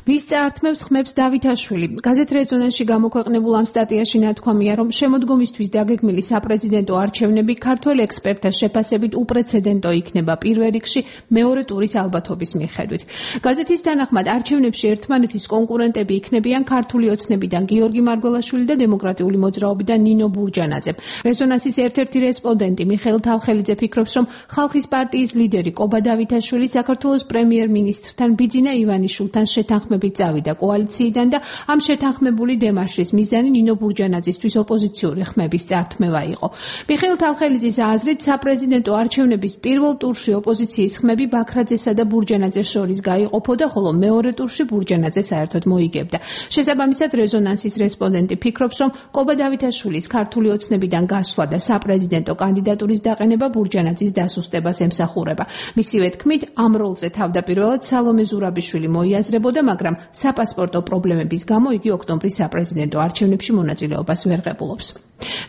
ვის წაართმევს ხმებს დავითაშვილი. გაზეთ რეზონანსში გამოქვეყნებულ ამ სტატიაში ნათქვამია, რომ შემოდგომისთვის დაგეგმილი საპრეზიდენტო არჩევნები ქართველ ექსპერტთა შეფასებით უპრეცედენტო იქნება პირველ რიგში მეორე ტურის ალბათობის მიხედვით. გაზეთის თანახმად არჩევნებში ერთმანეთის კონკურენტები იქნებიან ქართული ოცნებიდან გიორგი მარგველაშვილი და დემოკრატიული მოძრაობიდან ნინო ბურჯანაძე. რეზონანსის ერთ-ერთი რესპონდენტი მიხეილ თავხელიძე ფიქრობს, რომ ხალხის პარტიის ლიდერი კობა დავითაშვილი საქართველოს პრემიერ-მინისტრთან ბიძინა ივანიშვილთან შეთანხმებით წავიდა კოალიციიდან და ამ შეთანხმებული დემარშის მიზანი ნინო ბურჯანაძისთვის ოპოზიციური ხმების წართმევა იყო. მიხეილ თავხელიძის აზრით, საპრეზიდენტო არჩევნების პირველ ტურში ოპოზიციის ხმები ბაქრაძესა და ბურჯანაძეს შორის გაიყოფოდა, ხოლო მეორე ტურში ბურჯანაძე საერთოდ მოიგებდა. შესაბამისად, რეზონანსის რესპონდენტი ფიქრობს, რომ კობა დავითაშვილის ქართული ოცნებიდან გასვლა და საპრეზიდენტო კანდიდატურის დაყენება ბურჯანაძის დასუსტებას ემსახურება. მისივე თქმით, ამ როლზე თავდაპირველად სალომე ზურაბიშვილი მოიაზრებოდა, მაგრამ საპასპორტო პრობლემების გამო იგი ოქტომბრის საპრეზიდენტო არჩევნებში მონაწილეობას ვერ ღებულობს.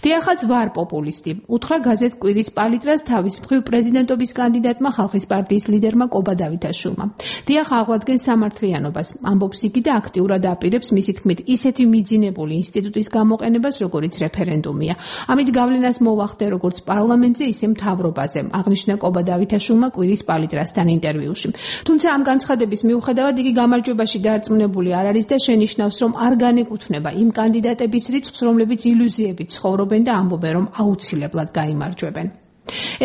დიახაც ვარ პოპულისტი, უთხრა გაზეთ კვირის პალიტრას თავის მხრივ პრეზიდენტობის კანდიდატმა ხალხის პარტიის ლიდერმა კობა დავითაშვილმა. დიახ აღვადგენ სამართლიანობას, ამბობს იგი და აქტიურად აპირებს მისი თქმით ისეთი მიძინებული ინსტიტუტის გამოყენებას, როგორიც რეფერენდუმია. ამით გავლენას მოვახდე როგორც პარლამენტზე, ისე მთავრობაზე, აღნიშნა კობა დავითაშვილმა კვირის პალიტრასთან ინტერვიუში. თუმცა ამ განცხადების მიუხედავად იგი გამარჯვებაში დარწმუნებული არ არის და შენიშნავს, რომ არ განეკუთვნება იმ კანდიდატების რიცხვს, რომლებიც ილუზიებით ცხოვრობენ და ამბობენ, რომ აუცილებლად გაიმარჯვებენ.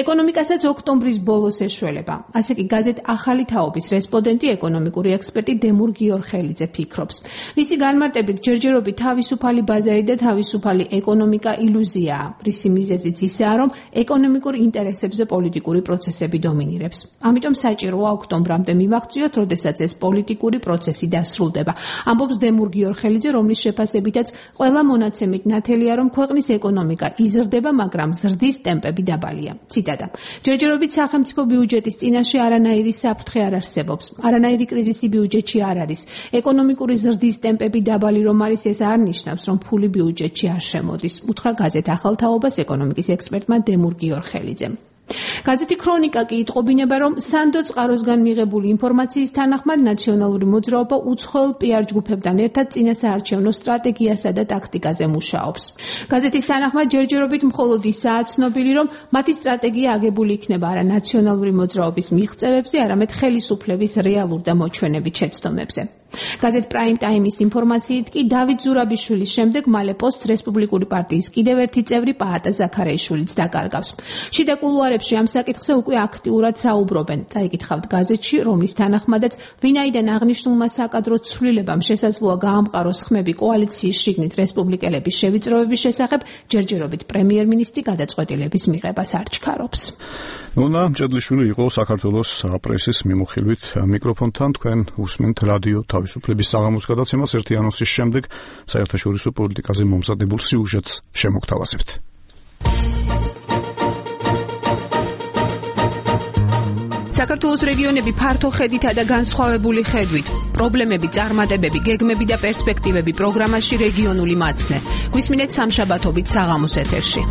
ეკონომიკასაც ოქტომბრის ბოლოს ეშველება. ასე კი გაზეთ ახალი თაობის რესპონდენტი ეკონომიკური ექსპერტი დემურ გიორხელიძე ფიქრობს. მისი განმარტებით ჯერჯერობით თავისუფალი ბაზარი და თავისუფალი ეკონომიკა ილუზიაა. რისი მიზეზიც ისაა, რომ ეკონომიკურ ინტერესებზე პოლიტიკური პროცესები დომინირებს. ამიტომ საჭიროა ოქტომბრამდე მივაღწიოთ, როდესაც ეს პოლიტიკური პროცესი დასრულდება. ამბობს დემურ გიორხელიძე, რომლის შეფასებითაც ყველა მონაცემით ნათელია, რომ ქვეყნის ეკონომიკა იზრდება, მაგრამ ზრდის ტემპები დაბალია. ციტატა. ჯერჯერობით სახელმწიფო ბიუჯეტის წინაშე არანაირი საფრთხე არ არსებობს. არანაირი კრიზისი ბიუჯეტში არ არის. ეკონომიკური ზრდის ტემპები დაბალი რომ არის, ეს არ ნიშნავს, რომ ფული ბიუჯეტში არ შემოდის. უთხრა გაზეთ ახალ თაობას ეკონომიკის ექსპერტმა დემურ გიორხელიძემ. გაზეთი ქრონიკა კი იტყობინება, რომ სანდო წყაროსგან მიღებული ინფორმაციის თანახმად ნაციონალური მოძრაობა უცხოელ პიარ ჯგუფებთან ერთად წინასაარჩევნო სტრატეგიასა და ტაქტიკაზე მუშაობს. გაზეთის თანახმად ჯერჯერობით მხოლოდ ისაა ცნობილი, რომ მათი სტრატეგია აგებული იქნება არა ნაციონალური მოძრაობის მიღწევებზე, არამედ ხელისუფლების რეალურ და მოჩვენებით შეცდომებზე. გაზეთ პრაიმ ტაიმის ინფორმაციით კი დავით ზურაბიშვილის შემდეგ მალე პოსტს რესპუბლიკური პარტიის კიდევ ერთი წევრი პაატა ზაქარიაშვილიც დაკარგავს. შიდა კულუარებში ამ საკითხზე უკვე აქტიურად საუბრობენ. წაიკითხავთ გაზეთში, რომლის თანახმადაც ვინაიდან აღნიშნულმა საკადრო ცვლილებამ შესაძლოა გაამყაროს ხმები კოალიციის შიგნით რესპუბლიკელების შევიწროების შესახებ, ჯერჯერობით პრემიერ-მინისტრი გადაწყვეტილების მიღებას არ ჩქარობს. ნონა მჭედლიშვილი იყო საქართველოს პრესის მიმოხილვით მიკროფონთან. თქვენ უსმენთ რადიო თავისუფლების საღამოს გადაცემას. ერთი ანონსის შემდეგ საერთაშორისო პოლიტიკაზე მომზადებულ სიუჟეტს შემოგთავაზებთ. საქართველოს რეგიონები ფართო ხედითა და განსხვავებული ხედვით. პრობლემები, წარმატებები, გეგმები და პერსპექტივები პროგრამაში რეგიონული მაცნე. გვისმინეთ სამშაბათობით საღამოს ეთერში.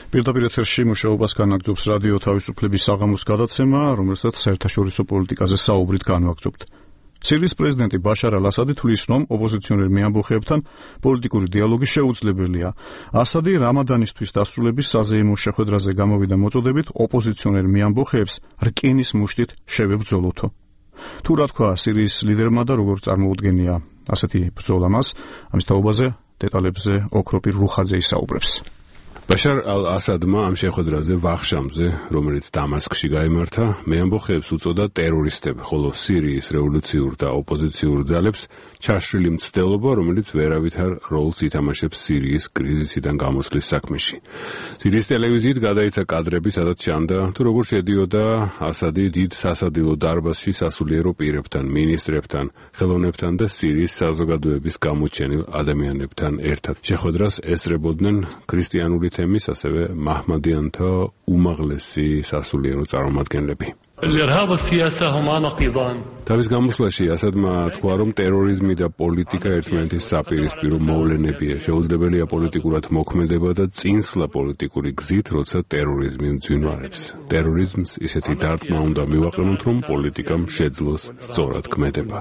პირდაპირ ეთერში მუშაობას განაგრძობს რადიო თავისუფლების საღამოს გადაცემა, რომელსაც საერთაშორისო პოლიტიკაზე საუბრით განვაგრძობთ. სირიის პრეზიდენტი ბაშარ ალ-ასადი თვლის, რომ ოპოზიციონერ მეამბოხეებთან პოლიტიკური დიალოგი შეუძლებელია. ასადი რამადანისთვის დასრულების საზეიმო შეხვედრაზე გამოვიდა მოწოდებით ოპოზიციონერ მეამბოხეებს რკინის მუშტით შევებრძოლოთო. თუ რა თქვა სირიის ლიდერმა და როგორ წარმოუდგენია ასეთი ბრძოლა მას, ამის თაობაზე დეტალებზე ოქროპირ რუხაძე ისაუბრებს. ბაშარ ალ-ასადმა ამ შეხვედრაზე ვახშამზე, რომელიც დამასკში გაიმართა, მეამბოხეებს უწოდა ტერორისტები, ხოლო სირიის რევოლუციურ და ოპოზიციურ ძალებს ჩაშრილი მცდელობა, რომელიც ვერავითარ როლს ითამაშებს სირიის კრიზისიდან გამოსვლის საქმეში. სირიის ტელევიზიით გადაიცა კადრები, სადაც ჩანდა, თუ როგორ შედიოდა ასადი დიდ სასადილო დარბაზში სასულიერო პირებთან, მინისტრებთან, ხელოვნებთან და სირიის საზოგადოების გამოჩენილ ადამიანებთან ერთად. შეხვედრას ესწრებოდნენ ქრისტიანული თემის, ასევე მაჰმადიანთა უმაღლესი სასულიერო წარმომადგენლები. თავის გამოსვლაში ასადმა თქვა, რომ ტერორიზმი და პოლიტიკა ერთმანეთის საპირისპირო მოვლენებია. შეუძლებელია პოლიტიკურად მოქმედება და წინსვლა პოლიტიკური გზით, როცა ტერორიზმი მძვინვარებს. ტერორიზმს ისეთი დარტყმა უნდა მივაყენოთ, რომ პოლიტიკამ შეძლოს სწორად ქმედება.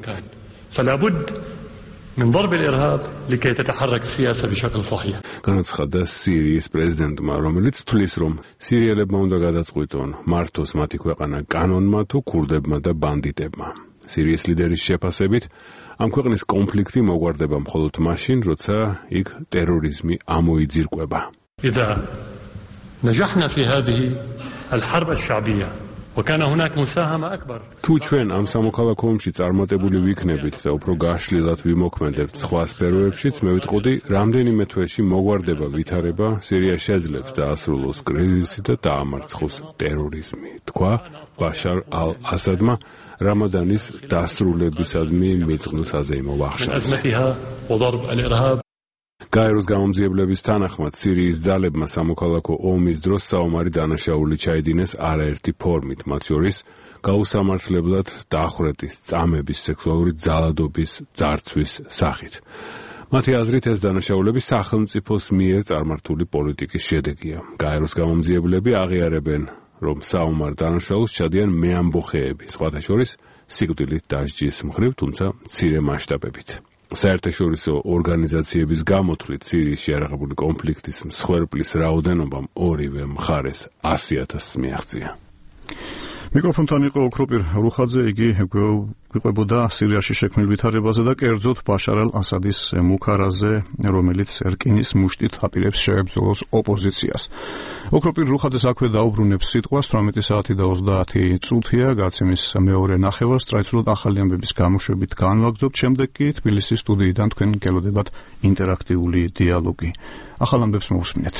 من ضرب الإرهاب لكي تتحرك السياسة بشكل صحيح. განაცხადა სირიის პრეზიდენტმა, რომელიც თვლის, რომ სირიელებმა უნდა გადაწყვიტონ, მართოს მათი ქვეყანა კანონმა თუ ქურდებმა და ბანდიტებმა. სირიის ლიდერის შეფასებით, ამ ქვეყნის კონფლიქტი მოგვარდება მხოლოდ მაშინ, როცა იქ ტერორიზმი ამოიძირკვება. إذا نجحنا في هذه الحرب الشعبية თუ ჩვენ ამ სამოქალაქო ომში წარმატებული ვიქნებით და უფრო გაშლილად ვიმოქმედებთ სხვა სფეროებშიც, მე ვიტყოდი, რამდენიმე თვეში მოგვარდება ვითარება, სირია შეძლებს დაასრულოს კრიზისი და დაამარცხოს ტერორიზმი, თქვა ბაშარ ალ-ასადმა რამადანის დასრულებისადმი მიწყნ საზეიმო ვახშამზე. გაეროს გამომძიებლების თანახმად სირიის ძალებმა სამოქალაქო ომის დროს საომარი დანაშაული ჩაიდინეს არაერთი ფორმით, მათ შორის გაუსამართლებლად დახვრეტის, წამების, სექსუალური ძალადობის, ძარცვის სახით. მათი აზრით ეს დანაშაულები სახელმწიფოს მიერ წარმართული პოლიტიკის შედეგია. გაეროს გამომძიებლები აღიარებენ, რომ საომარ დანაშაულს ჩადიან მეამბოხეები, სხვათა შორის სიკვდილით დასჯის მხრივ, თუმცა მცირე მასშტაბებით. საერთაშორისო ორგანიზაციების გამოთვლით სირიის შეარაღებული კონფლიქტის მსხვერპლის რაოდენობამ ორივე მხარეს ასი ათასს მიაღწია. მიკროფონთან იყო ოქროპირ რუხაძე, იგი გვიყვებოდა სირიაში შექმნილ ვითარებაზე და კერძოდ ბაშარ ალ-ასადის მუქარაზე, რომელიც ერკინის მუშტით აპირებს შეებრძოლოს ოპოზიციას. ოქროპირ რუხაძეს აქვე დაუბრუნებს სიტყვას, თვრამეტი საათი და ოცდაათი წუთია, გაცემის მეორე ნახევარს ტრადიციულად ახალი ამბების გამოშვებით განვაგრძობთ, შემდეგ კი თბილისის სტუდიიდან თქვენ გელოდებათ ინტერაქტიული დიალოგი. ახალ ამბებს მოусმინეთ.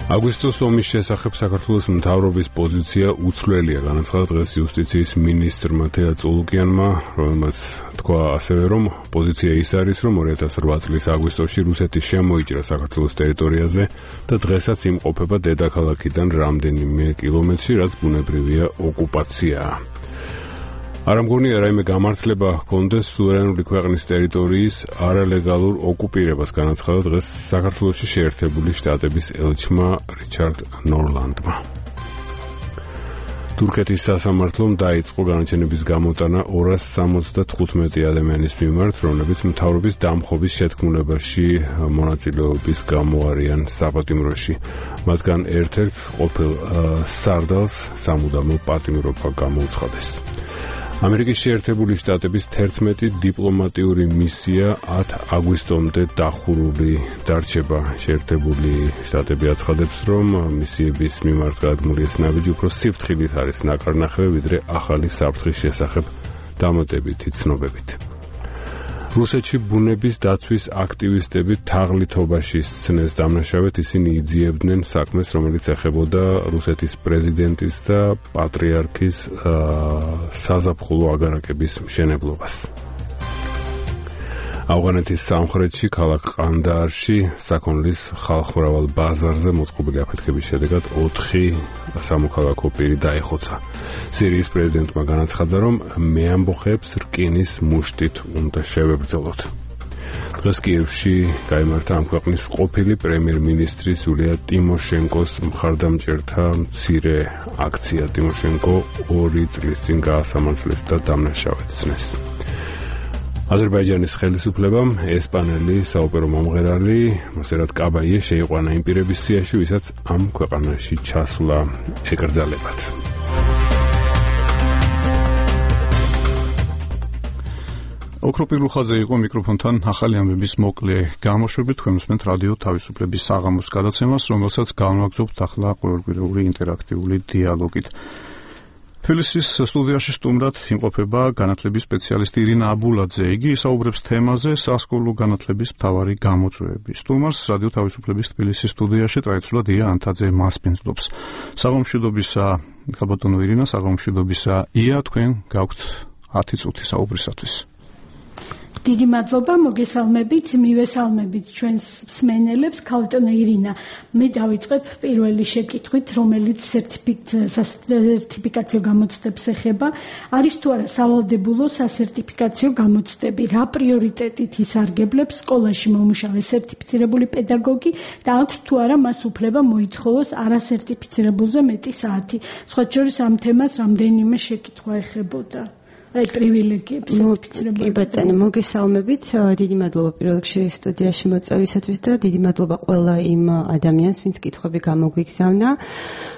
აგვისტოს ომის შესახებ საქართველოს მთავრობის პოზიცია უცვლელია, განაცხადა დღეს იუსტიციის მინისტრმა თეა წულუკიანმა, რომელმაც თქვა ასევე, რომ პოზიცია ის არის, რომ ორი ათას რვა წლის აგვისტოში რუსეთი შემოიჭრა საქართველოს ტერიტორიაზე და დღესაც იმყოფება დედაქალაქიდან რამდენიმე კილომეტრში, რაც ბუნებრივია ოკუპაციაა. არ ამგონია რაიმე გამართლება ჰქონდეს სუვერენული ქვეყნის ტერიტორიის არალეგალურ ოკუპირებას, განაცხადა დღეს საქართველოში შეერთებული შტატების ელჩმა რიჩარდ ნორლანდმა. თურქეთის სასამართლომ დაიწყო განაჩენების გამოტანა ორას სამოცდათხუთმეტი ადამიანის მიმართ, რომლებიც მთავრობის დამხობის შეთქმულებაში მონაწილეობის გამო არიან საპატიმროში. მათგან ერთ-ერთს ყოფილ სარდალს სამუდამო პატიმრობა გამოუცხადეს. ამერიკის შეერთებული შტატების თერთმეტი დიპლომატიური მისია ათი აგვისტომდე დახურული დარჩება. შეერთებული შტატები აცხადებს, რომ მისიების მიმართ გადმული ეს ნაბიჯი უფრო სიფრთხილით არის ნაკარნახევი, ვიდრე ახალი საფრთხის შესახებ დამატებითი ცნობებით. რუსეთში ბუნების დაცვის აქტივისტები თაღლითობაში სცნეს დამნაშავედ, ისინი იძიებდნენ საქმეს, რომელიც ეხებოდა რუსეთის პრეზიდენტის და პატრიარქის საზაფხულო აგარაკების მშენებლობას. ავღანეთის სამხრეთში, ქალაქ ყანდაარში, საქონლის ხალხმრავალ ბაზარზე მოწყობილი აფეთქების შედეგად ოთხი სამოქალაქო პირი დაიხოცა. სირიის პრეზიდენტმა განაცხადა, რომ მეამბოხეებს რკინის მუშტით უნდა შევებრძოლოთ. დღეს კიევში გაიმართა ამ ქვეყნის ყოფილი პრემიერ-მინისტრის იულია ტიმოშენკოს მხარდამჭერთა მცირე აქცია. ტიმოშენკო ორი წლის წინ გაასამართლეს და დამნაშავედ სცნეს. აზერბაიჯანის ხელისუფლებამ ესპანელი საოპერო მომღერალი მოსერატ კაბაიე შეიყვანა იმ პირების სიაში, ვისაც ამ ქვეყანაში ჩასვლა ეკრძალებათ. ოქროპირ რუხაძე იყო მიკროფონთან ახალი ამბების მოკლე გამოშვებით, თქვენ უსმენთ რადიო თავისუფლების საღამოს გადაცემას, რომელსაც განვაგრძობთ ახლა ყოველკვირეული ინტერაქტიული დიალოგით. თბილისის სტუდიაში სტუმრად იმყოფება განათლების სპეციალისტი ირინა აბულაძე. იგი ისაუბრებს თემაზე სასკოლო განათლების მთავარი გამოწვევები. სტუმარს რადიო თავისუფლების თბილისის სტუდიაში ტრადიციულად ია ანთაძე მასპინძლობს. საღამომშვიდობისა, ხალბატონო ირინა, საღამომშვიდობისა ია, თქვენ გაქვთ ათი წუთი საუბრისათვის. დიდი მადლობა, მოგესალმებით, მივესალმებით ჩვენს მსმენელებს. ქალბატონო ირინა, მე დავიწყებ პირველი შეკითხვით, რომელიც სერტიფიკაციო გამოცდებს ეხება. არის თუ არა სავალდებულო სასერტიფიკაციო გამოცდები? რა პრიორიტეტით ისარგებლებს სკოლაში მომუშავე სერტიფიცირებული პედაგოგი და აქვს თუ არა მას უფლება მოითხოვოს არასერტიფიცირებულზე მეტი საათი? სხვათა შორის ამ თემას რამდენიმე შეკითხვა ეხებოდა. აი პრივილეგიებს საფიცრება. კი ბატონო, მოგესალმებით. დიდი მადლობა პირველ რიგში სტუდიაში მოწვევისათვის და დიდი მადლობა ყველა იმ ადამიანს, ვინც კითხვები გამოგვიგზავნა.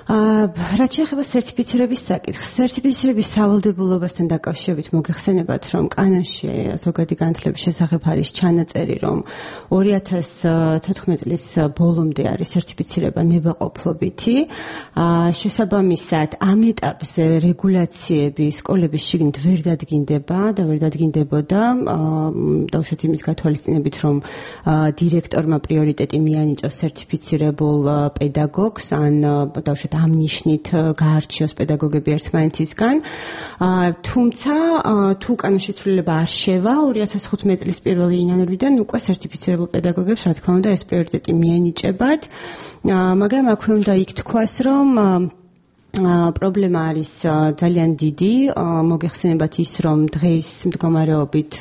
რაც შეეხება სერტიფიცირების საკითხს, სერტიფიცირების სავალდებულობასთან დაკავშირებით მოგეხსენებათ, რომ კანონში ზოგადი განათლების შესახებ არის ჩანაწერი, რომ ორი ათას თოთხმეტ წლის ბოლომდე არის სერტიფიცირება ნებაყოფლობითი. შესაბამისად, ამ ეტაპზე რეგულაციები სკოლების შიგნით ვერ დადგინდება და ვერ დადგინდებოდა დაუშვათ იმის გათვალისწინებით, რომ დირექტორმა პრიორიტეტი მიანიჭოს სერტიფიცირებულ პედაგოგს ან დაუშვათ ამ ნიშნით გაარჩიოს პედაგოგები ერთმანეთისგან. თუმცა თუ კანონში ცვლილება არ შევა, ორი ათას ხუთმეტ წლის პირველი იანვრიდან უკვე სერტიფიცირებულ პედაგოგებს, რა თქმა უნდა, ეს პრიორიტეტი მიენიჭებათ. მაგრამ აქვე უნდა იქ თქვას, რომ პრობლემა არის ძალიან დიდი. მოგეხსენებათ ის, რომ დღეს მდგომარეობით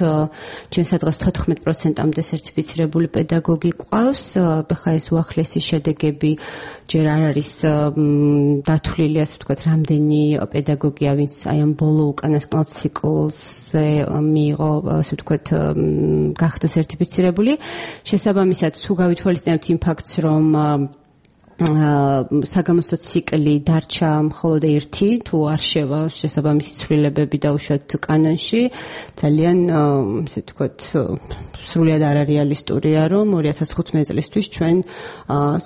ჩვენ სადღაც თოთხმეტ პროცენტამდე სერტიფიცირებული პედაგოგი გვყავს. ხა ეს უახლესი შედეგები ჯერ არ არის დათვლილი, ასე ვთქვათ, რამდენი პედაგოგია, ვინც აი ამ ბოლო უკანასკნელ ციკლზე მიიღო, ასე ვთქვათ, გახდა სერტიფიცირებული. შესაბამისად, თუ გავითვალისწინებთ იმ ფაქტს, რომ საგამოცდო ციკლი დარჩა მხოლოდ ერთი, თუ არ შევა შესაბამისი ცვლილებები დაუშვათ კანონში, ძალიან ასე ვთქვათ, სრულად არარეალისტურია, რომ ორი ათას ხუთმეტ წლისთვის ჩვენ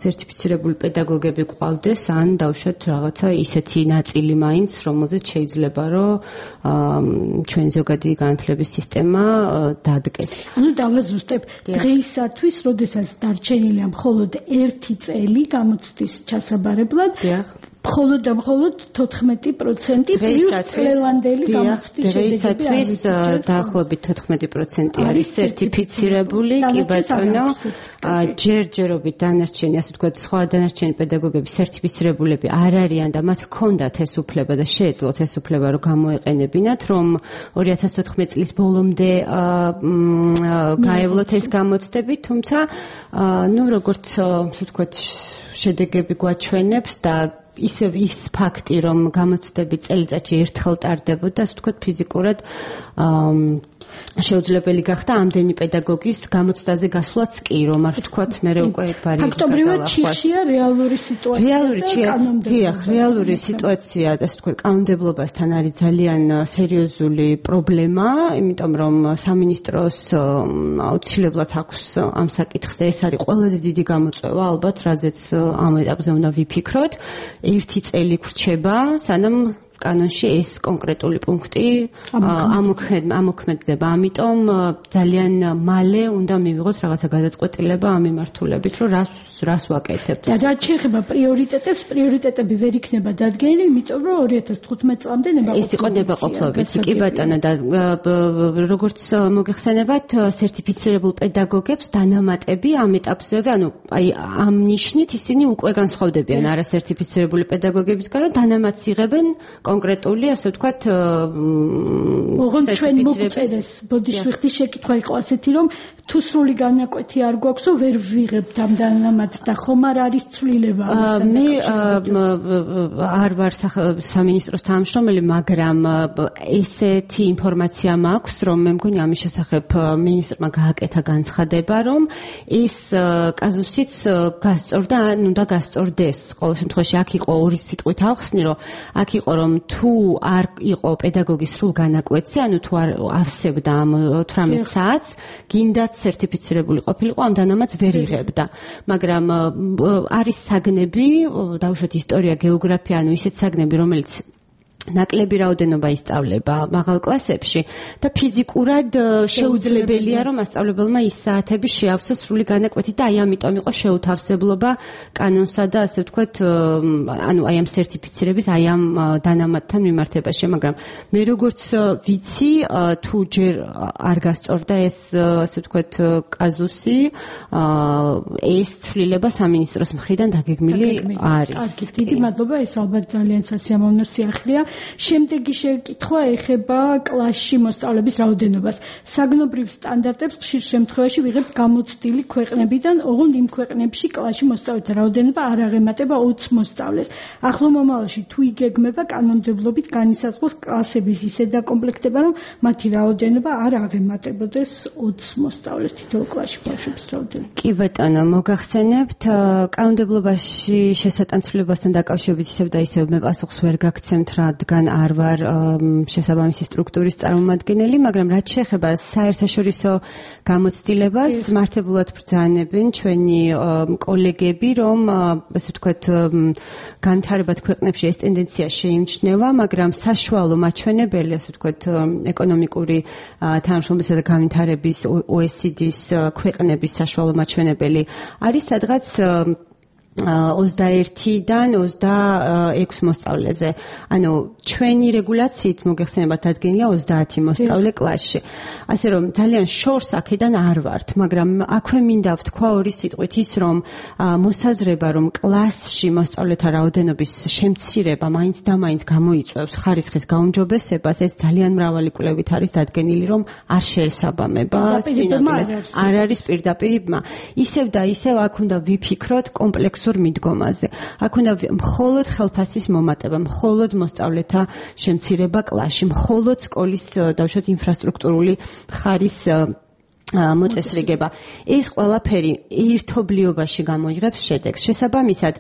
სერტიფიცირებული პედაგოგები გვყავდეს, ან დაუშვათ რაღაცა ისეთი ნაწილი მაინც, რომელზეც შეიძლება, რომ ჩვენ ზოგადი განათლების სისტემა დადგეს. ანუ დავაზუსტებ, დღეისათვის, როდესაც დარჩენილია მხოლოდ ერთი წელი გამოცდის ჩასაბარებლად, მხოლოდ და მხოლოდ თოთხმეტი პროცენტი პლუს წლევანდელი გამოცდის შედეგები დღეისათვის დაახლოებით თოთხმეტი პროცენტი არის სერტიფიცირებული, კი ბატონო. ჯერჯერობით დანარჩენი, ასე ვთქვათ, სხვა დანარჩენი პედაგოგები სერტიფიცირებულები არ არიან და მათ ჰქონდათ ეს უფლება და შეეძლოთ ეს უფლება, რომ გამოეყენებინათ, რომ ორი ათას თოთხმეტ წლის ბოლომდე გაევლოთ ეს გამოცდები, თუმცა ნუ როგორც ასე ვთქვათ, შედეგები გვაჩვენებს და ისევ ის ფაქტი, რომ გამოცდები წელიწადში ერთხელ ტარდებოდა, ასე ვთქვათ, ფიზიკურად შეუძლებელი გახდა ამდენი პედაგოგის გამოცდაზე გასვლაც კი, რომ არ ვთქვათ, მე უკვე ბარიერა ფაქტობრივად ჩიხშია რეალური სიტუაცია. რეალური დიახ, რეალური სიტუაცია, ასე ვთქვათ, კანონმდებლობასთან არის ძალიან სერიოზული პრობლემა, იმიტომ რომ სამინისტროს აუცილებლად აქვს ამ საკითხზე, ეს არის ყველაზე დიდი გამოწვევა, ალბათ, რაზეც ამ ეტაპზე უნდა ვიფიქროთ. ერთი წელი გრჩება, სანამ კანონში ეს კონკრეტული პუნქტი ამოქმედდება. ამიტომ ძალიან მალე უნდა მივიღოთ რაღაცა გადაწყვეტილება ამ მიმართულებით, რომ რას რას ვაკეთებთ. და რაც შეეხება პრიორიტეტებს, პრიორიტეტები ვერ იქნება დადგენილი, იმიტომ რომ ორი ათას თხუთმეტ წლამდე ნებაყოფლობითი. ეს იყო ნებაყოფლობითი, კი ბატონო, და როგორც მოგეხსენებათ, სერტიფიცირებულ პედაგოგებს დანამატები ამ ეტაპზე, ანუ აი ამ ნიშნით ისინი უკვე განსხვავდებიან არასერტიფიცირებული პედაგოგებისგან, რომ დანამატს იღებენ კონკრეტული, ასე ვთქვათ, ოღონდ ჩვენ მოგწერეს, ბოდიშვიხტი შეკითხვა იყო ასეთი, რომ თუ სრული განაკვეთი არ გვაქვსო, ვერ ვიღებთ ამ დანამატს და ხომ არ არის ცვლილება ამასთან. მე არ ვარ სამინისტროს თანამშრომელი, მაგრამ ესეთი ინფორმაცია მაქვს, რომ მე მგონი ამის შესახებ მინისტრმა გააკეთა განცხადება, რომ ეს კაზუსიც გასწორდა, ანუ და გასწორდეს. ყოველ შემთხვევაში აქ იყო ორი სიტყვით ავხსნი, რომ აქ იყო, რომ თუ არ იყო პედაგოგის სრულ განაკვეთზე, ანუ თუ არ ავსებდა ამ ოცდაოთხ საათს, გინდათ სერტიფიცირებული ყოფილიყო, ამ დანამატს ვერ იღებდა. მაგრამ არის საგნები, დაუშვათ ისტორია, გეოგრაფია, ანუ ისეთ საგნები, რომელიც ნაკლები რაოდენობა ისწავლება მაღალ კლასებში და ფიზიკურად შეუძლებელია, რომ მასწავლებელმა ის საათები შეავსოს სრული განაკვეთი და აი ამიტომ იყო შეუთავსებლობა კანონსა და ასე ვთქვათ, ანუ აი ამ სერტიფიცირების, აი ამ დანამატთან მიმართებაში, მაგრამ მე როგორც ვიცი, თუ ჯერ არ გასწორდა ეს, ასე ვთქვათ, კაზუსი, ეს ცვლილება სამინისტროს მხრიდან დაგეგმილი არის. კარგი, დიდი მადლობა, ეს ალბათ ძალიან სასიამოვნო სიახლეა. შემდეგი შეკითხვა ეხება კლასში მოსწავლეების რაოდენობას. საგნობრივ სტანდარტებს ხშირ შემთხვევაში ვიღებთ გამოცდილი ქვეყნებიდან, ოღონდ იმ ქვეყნებში კლასში მოსწავლეთა რაოდენობა არ აღემატება ოცს მოსწავლეს. ახლო მომავალში თუ იგეგმება კანონმდებლობით განისაზღვროს კლასების ისე დაკომპლექტება, რომ მათი რაოდენობა არ აღემატებოდეს ოცს მოსწავლეს თითოეულ კლასში ბავშვების რაოდენობა. კი ბატონო, მოგახსენებთ, კანონმდებლობაში შესატანცვლებასთან დაკავშირებით ისევ და ისევ მე პასუხს ვერ გაგცემთ, რადგან არ ვარ შესაბამისი სტრუქტურის წარმომადგენელი, მაგრამ რაც შეეხება საერთაშორისო გამოცდილებას, მართებულად ბრძანებენ ჩვენი კოლეგები, რომ ასე ვთქვათ, განვითარებად ქვეყნებში ეს ტენდენცია შეიმჩნევა, მაგრამ საშუალო მაჩვენებელი, ასე ვთქვათ, ეკონომიკური თანამშრომლობისა და განვითარების O E C D-ის ქვეყნების საშუალო მაჩვენებელი არის სადღაც ოცდაერთიდან ოცდაექვს მოსწავლეზე. ანუ ჩვენი რეგულაციით მოგეხსენებათ დადგენილია ოცდაათი მოსწავლე კლასში. ასე რომ ძალიან შორს აქედან არ ვართ, მაგრამ აქვე მინდა ვთქვა ორი სიტყვით ის, რომ მოსაზრება, რომ კლასში მოსწავლეთა რაოდენობის შემცირება მაინც და მაინც გამოიწვევს ხარისხის გაუმჯობესებას, ეს ძალიან მრავალი კვლევით არის დადგენილი, რომ არ შეესაბამება სინამდვილეს, არ არის პირდაპირ ბმა. ისევ და ისევ აქ უნდა ვიფიქროთ კომპლექსურ მიდგომაზე. აქ უნდა მხოლოდ ხელფასის მომატება, მხოლოდ მოსწავლეთა შემცირება კლასში, მხოლოდ სკოლის დავუშვათ ინფრასტრუქტურული ხარის მოწესრიგება. ეს ყველაფერი ერთობლიობაში გამოიღებს შედეგს. შესაბამისად,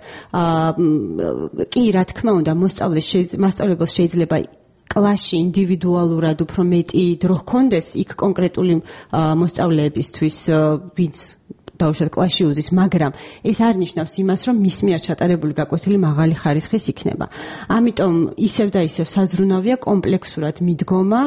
კი, რა თქმა უნდა, მოსწავლებელს შეიძლება კლასში ინდივიდუალურად უფრო მეტი დრო ჰქონდეს იქ კონკრეტული მოსწავლეებისთვის, ვინც დავუშვათ კლასში უზის, მაგრამ ეს არ ნიშნავს იმას, რომ მის მიერ ჩატარებული გაკვეთილი მაღალი ხარისხის იქნება. ამიტომ ისევ და ისევ საზრუნავია კომპლექსურად მიდგომა,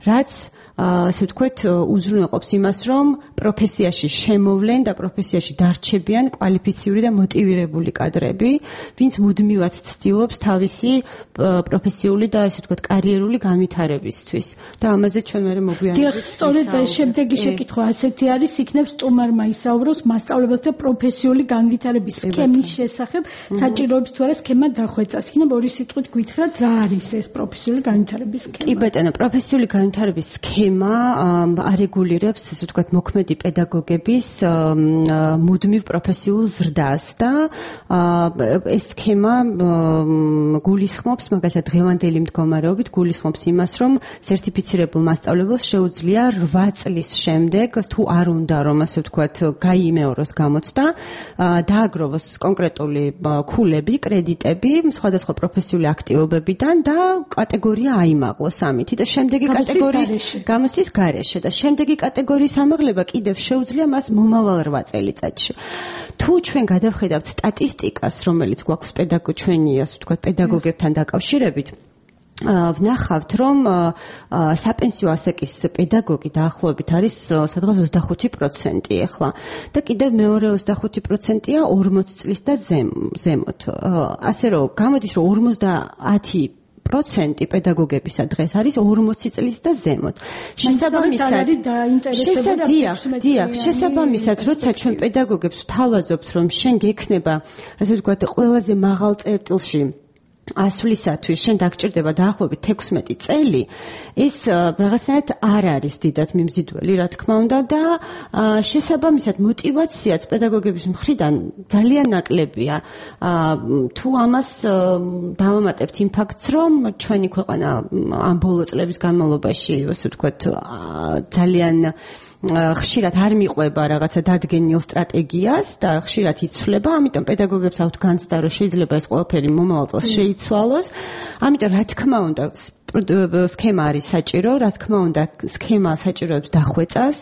რაც ასე ვთქვათ, უზრუნველყოფს იმას, რომ პროფესიაში შემოვლენ და პროფესიაში დარჩებიან კვალიფიციური და მოტივირებული კადრები, ვინც მუდმივად ცდილობს თავისი პროფესიული და ასე ვთქვათ, კარიერული განვითარებისთვის. და ამაზე ჩვენ მე მოგვიანებით. დიახ, სწორედ შემდეგი შეკითხვა ასეთი არის, იქნებს სტუმარმა ისაუბროს მასწავლებელთა პროფესიული განვითარების სქემის შესახებ, საჭიროებს თუ არა სქემა დახვეწას. იქნებ ორი სიტყვით გითხრათ, რა არის ეს პროფესიული განვითარების სქემა? კი ბატონო, პროფესიული განვითარების სქემა არეგულირებს, ასე ვთქვათ, მოქმედი პედაგოგების მუდმივ პროფესიულ ზრდას და ეს სქემა გულისხმობს, მაგალითად, დღევანდელი მდგომარეობით გულისხმობს იმას, რომ სერტიფიცირებულ მასწავლებელს შეუძლია რვა წლის შემდეგ, თუ არ უნდა, რომ ასე ვთქვათ, გაიმეოროს გამოცდა, დააგროვოს კონკრეტული ქულები, კრედიტები, სხვადასხვა პროფესიული აქტივობებიდან და კატეგორია აიმაღლოს ამით. და შემდეგი კატეგორიის გამოცდის გარეშე და შემდეგი კატეგორიის ამაღლება კიდევ შეუძლია მას მომავალ რვა წელიწადში. თუ ჩვენ გადავხედავთ სტატისტიკას, რომელიც გვაქვს პედაგოგ ჩვენი, ასე ვთქვათ, პედაგოგებთან დაკავშირებით, ვნახავთ, რომ საპენსიო ასაკის პედაგოგი დაახლოებით არის სადღაც ოცდახუთი პროცენტი ახლა და კიდევ მეორე ოცდახუთი პროცენტია ორმოც წლის და ზემოთ. ასე რომ გამოდის, რომ ორმოცდაათი პროცენტი პედაგოგებისა დღეს არის ორმოცი წლის და ზემოთ. შესაბამისად, შესაბამისად, შესაბამისად, როცა ჩვენ პედაგოგებს ვთავაზობთ, რომ შენ გექნება, ასე ვთქვათ, ყველაზე მაღალ წერტილში ასვლისათვის შენ დაგჭირდება დაახლოებით თექვსმეტი წელი, ეს რაღაცნაირად არ არის დიდად მიმზიდველი, რა თქმა უნდა და შესაბამისად мотиваციაც პედაგოგების მხრიდან ძალიან ნაკლებია. თუ ამას დავამატებთ იმ ფაქტს, რომ ჩვენი ქვეყანა ამ ბოლო წლების განმავლობაში, ასე ვთქვათ, ძალიან ხშირად არ მიყვება რაღაცა დადგენილ სტრატეგიას და ხშირად იცვლება, ამიტომ პედაგოგებს აქვთ განცდა, რომ შეიძლება ეს ყველაფერი მომავალ წელს შეიცვალოს. ამიტომ რა თქმა უნდა სქემა არის საჭირო, რა თქმა უნდა სქემა საჭიროებს დახვეწას.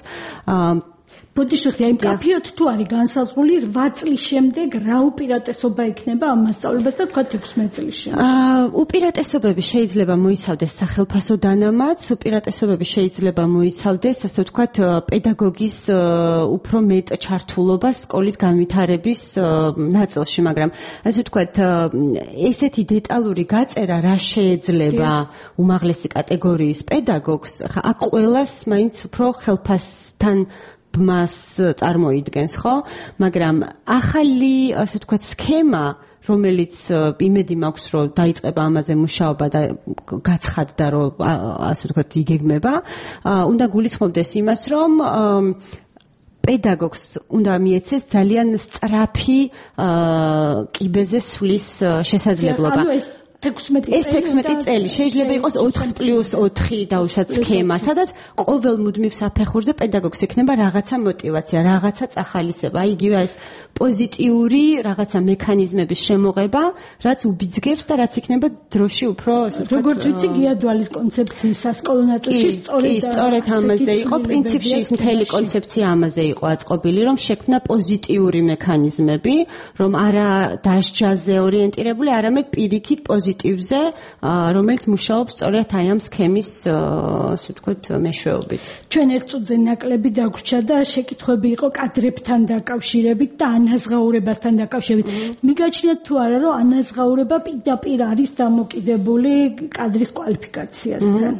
ბოდიშვიხი, აი კაფეოთ თუ არის განსაზღვრული რვა წლის შემდეგ რა უპირატესობა იქნება ამ მასწავლებლებს და თქვა თექვსმეტ წლის შემდეგ? აა უპირატესობები შეიძლება მოიცავდეს სახელფასო დანამატს, უპირატესობები შეიძლება მოიცავდეს, ასე ვთქვათ, პედაგოგის უფრო მეტ ჩართულობას სკოლის განვითარების ნაწილში, მაგრამ ასე ვთქვათ, ესეთი დეტალური გაწერა რა შეეძლება უმაღლესი კატეგორიის პედაგოგს, ხა აქ ყველას მაინც უფრო ხელფასთან ბმას წარმოიდგენს, ხო? მაგრამ ახალი, ასე ვთქვათ, სქემა რომელიც იმედი მაქვს რომ დაიწყება ამაზე მუშაობა და გაცხადდა რომ ასე ვთქვათ იგეგმება, უნდა გულისხმობდეს იმას რომ პედაგოგს უნდა მიეცეს ძალიან სწრაფი კიბეზე სვლის შესაძლებლობა. ეს თექვსმეტი წელი შეიძლება იყოს ოთხ პლუს ოთხი დაუშვათ სქემა, სადაც ყოველ მუდმივ საფეხურზე პედაგოგს ექნება რაღაცა мотиваცია, რაღაცა წახალისება, იგივე ეს პოზიტიური რაღაცა მექანიზმების შემოღება, რაც უბიძგებს და რაც იქნება დროში უფრო, ასე ვთქვათ, როგორც ვიცი, გიადვალის კონცეფციის სასკოლო ნაწილში სწორედ კი, სწორედ ამაზე იყო, პრინციპში ის მთელი კონცეფცია ამაზე იყო აწყობილი, რომ შექმნა პოზიტიური მექანიზმები, რომ არა დასჯაზე ორიენტირებული, არამედ პირიქით პოზიტივზე, რომელიც მუშაობს სწორედ აი ამ სქემის, ასე ვთქვათ, მეშვეობით. ჩვენ ერთ წუთზე ნაკლები დაგვრჩა და შეკითხვები იყო კადრებთან დაკავშირებით და ანაზღაურებასთან დაკავშირებით. მიგაჩნიათ თუ არა, რომ ანაზღაურება პირდაპირ არის დამოკიდებული კადრის კვალიფიკაციასთან?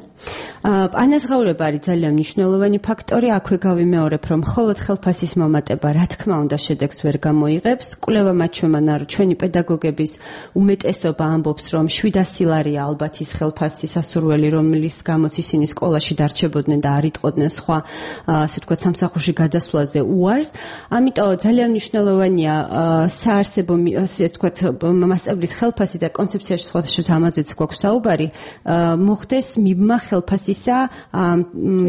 ანაზღაურება არის ძალიან მნიშვნელოვანი ფაქტორი. აქვე გავიმეორებ, რომ მხოლოდ ხელფასის მომატება, რა თქმა უნდა, შედეგს ვერ გამოიღებს. კვლევა მაჩვენებდა, რომ ჩვენი პედაგოგების უმეტესობა ამბობს, რომ შვიდასი ლარია ალბათ ის ხელფასის სასურველი, რომლის გამოც ისინი სკოლაში დარჩებოდნენ და არ იტყოდნენ სხვა, ასე ვთქვათ, სამსახურში გადასვლაზე უარს. ამიტომ ძალიან მნიშვნელოვანია საარსებო, ასე ვთქვათ, მასწავლებლის ხელფასი და კონცეფციაში სხვადასხვა ამაზეც გვაქვს საუბარი, მოხდეს მიბმა ხელფასისა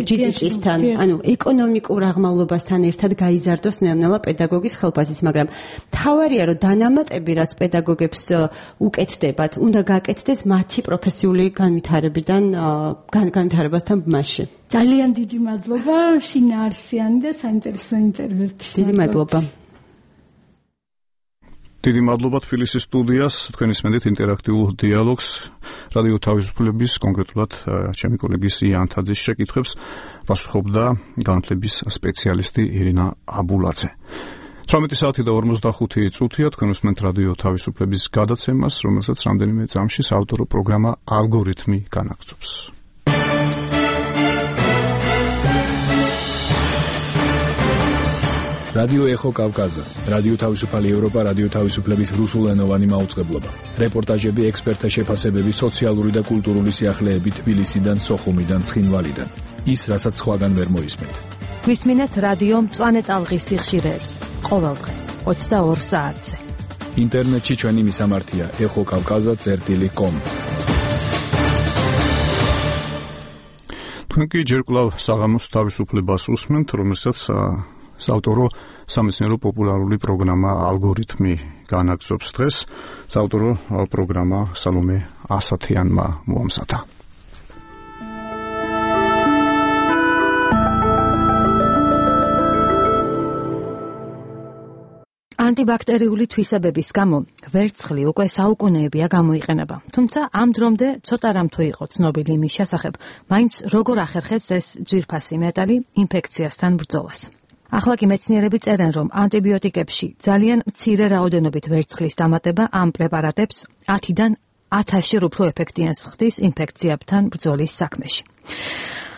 ჯი დი პი-სთან, ანუ ეკონომიკურ აღმავლობასთან ერთად გაიზარდოს ნელა პედაგოგის ხელფასის, მაგრამ თავარია, რომ დანამატები, რაც პედაგოგებს უკეთდებათ, უნდა გაკეთდეთ მათი პროფესიული განვითარებიდან განვითარებასთან ბმაში. ძალიან დიდი მადლობა შინაარსიანი და საინტერესო ინტერვიუსთვის. დიდი მადლობა. დიდი მადლობა თბილისის სტუდიას, თქვენ ისმენთ ინტერაქტიულ დიალოგს, რადიო თავისუფლების, კონკრეტულად ჩემი კოლეგის იან თაძის შეკითხვებს პასუხობდა განათლების სპეციალისტი ირინა აბულაძე. თვრამეტი საათი და ორმოცდახუთი წუთია, თქვენ უსმენთ რადიო თავისუფლების გადაცემას, რომელსაც რამდენიმე წამში საავტორო პროგრამა ალგორითმი განაგრძობს. რადიო ეხო კავკაზა, რადიო თავისუფალი ევროპა, რადიო თავისუფლების რუსულენოვანი მაუწყებლობა. რეპორტაჟები, ექსპერტთა შეფასებები, სოციალური და კულტურული სიახლეები თბილისიდან, სოხუმიდან, ცხინვალიდან. ის, რასაც სხვაგან ვერ მოისმენთ. გვისმინეთ რადიო მწვანე ტალღის სიხშირეებს ყოველდღე ოცდაორ საათზე. ინტერნეტში ჩვენი მისამართია ეხო კავკაზა წერტილი კომ. თქვენ კი ჯერ კვლავ საღამოს თავისუფლებას უსმენთ, რომელსაც საავტორო სამეცნიერო პოპულარული პროგრამა ალგორითმი განაგრძობს დღეს. საავტორო პროგრამა სალომე ასათიანმა მოამზადა. ანტიბაქტერიული თვისებების გამო ვერცხლი უკვე საუკუნეებია გამოიყენება. თუმცა ამ დრომდე ცოტა რამ თუ იყო ცნობილი იმის შესახებ, მაინც როგორ ახერხებს ეს ძვირფასი მეტალი ინფექციასთან ბრძოლას. ახლა კი მეცნიერები წერენ, რომ ანტიბიოტიკებში ძალიან მცირე რაოდენობით ვერცხლის დამატება ამ პრეპარატებს ათიდან ათასჯერ უფრო ეფექტიანს ხდის ინფექციებთან ბრძოლის საქმეში.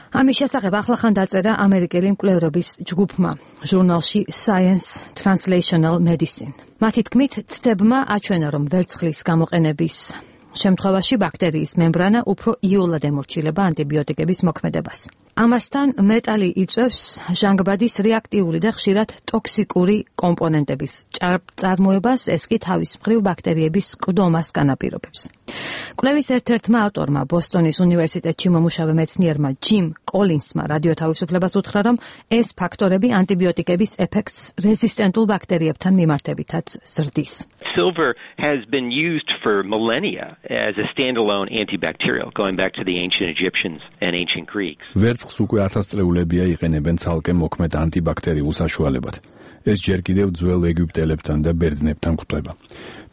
ამის შესახებ ახლახან დაწერა ამერიკელი მკვლევრების ჯგუფმა ჟურნალში Science Translational Medicine. მათი თქმით, ცდებმა აჩვენა, რომ ვერცხლის გამოყენების შემთხვევაში ბაქტერიის მემბრანა უფრო იოლად ემორჩილება ანტიბიოტიკების მოქმედებას. ამასთან მეტალი იწვევს ჟანგბადის რეაქტიული და ხშირად ტოქსიკური კომპონენტების წარმოებას, ეს კი თავის მხრივ ბაქტერიების კლდომას განაპირობებს. კვლევის ერთ-ერთმა ავტორმა ბოსტონის უნივერსიტეტში მომუშავე მეცნიერმა ჯიმ კოლინსმა რადიო თავისუფლებას უთხრა, რომ ეს ფაქტორები ანტიბიოტიკების ეფექტს რეზისტენტულ ბაქტერიებთან მიმართებითაც ზრდის. Silver has been used for millennia as a standalone antibacterial, going back to the ancient Egyptians and ancient Greeks. ვერცხლს უკვე ათასწლეულებია იყენებენ ცალკე მოქმედ ანტიბაქტერიულ საშუალებად. ეს ჯერ კიდევ ძველ ეგვიპტელებთან და ბერძნებთან გვხვდება.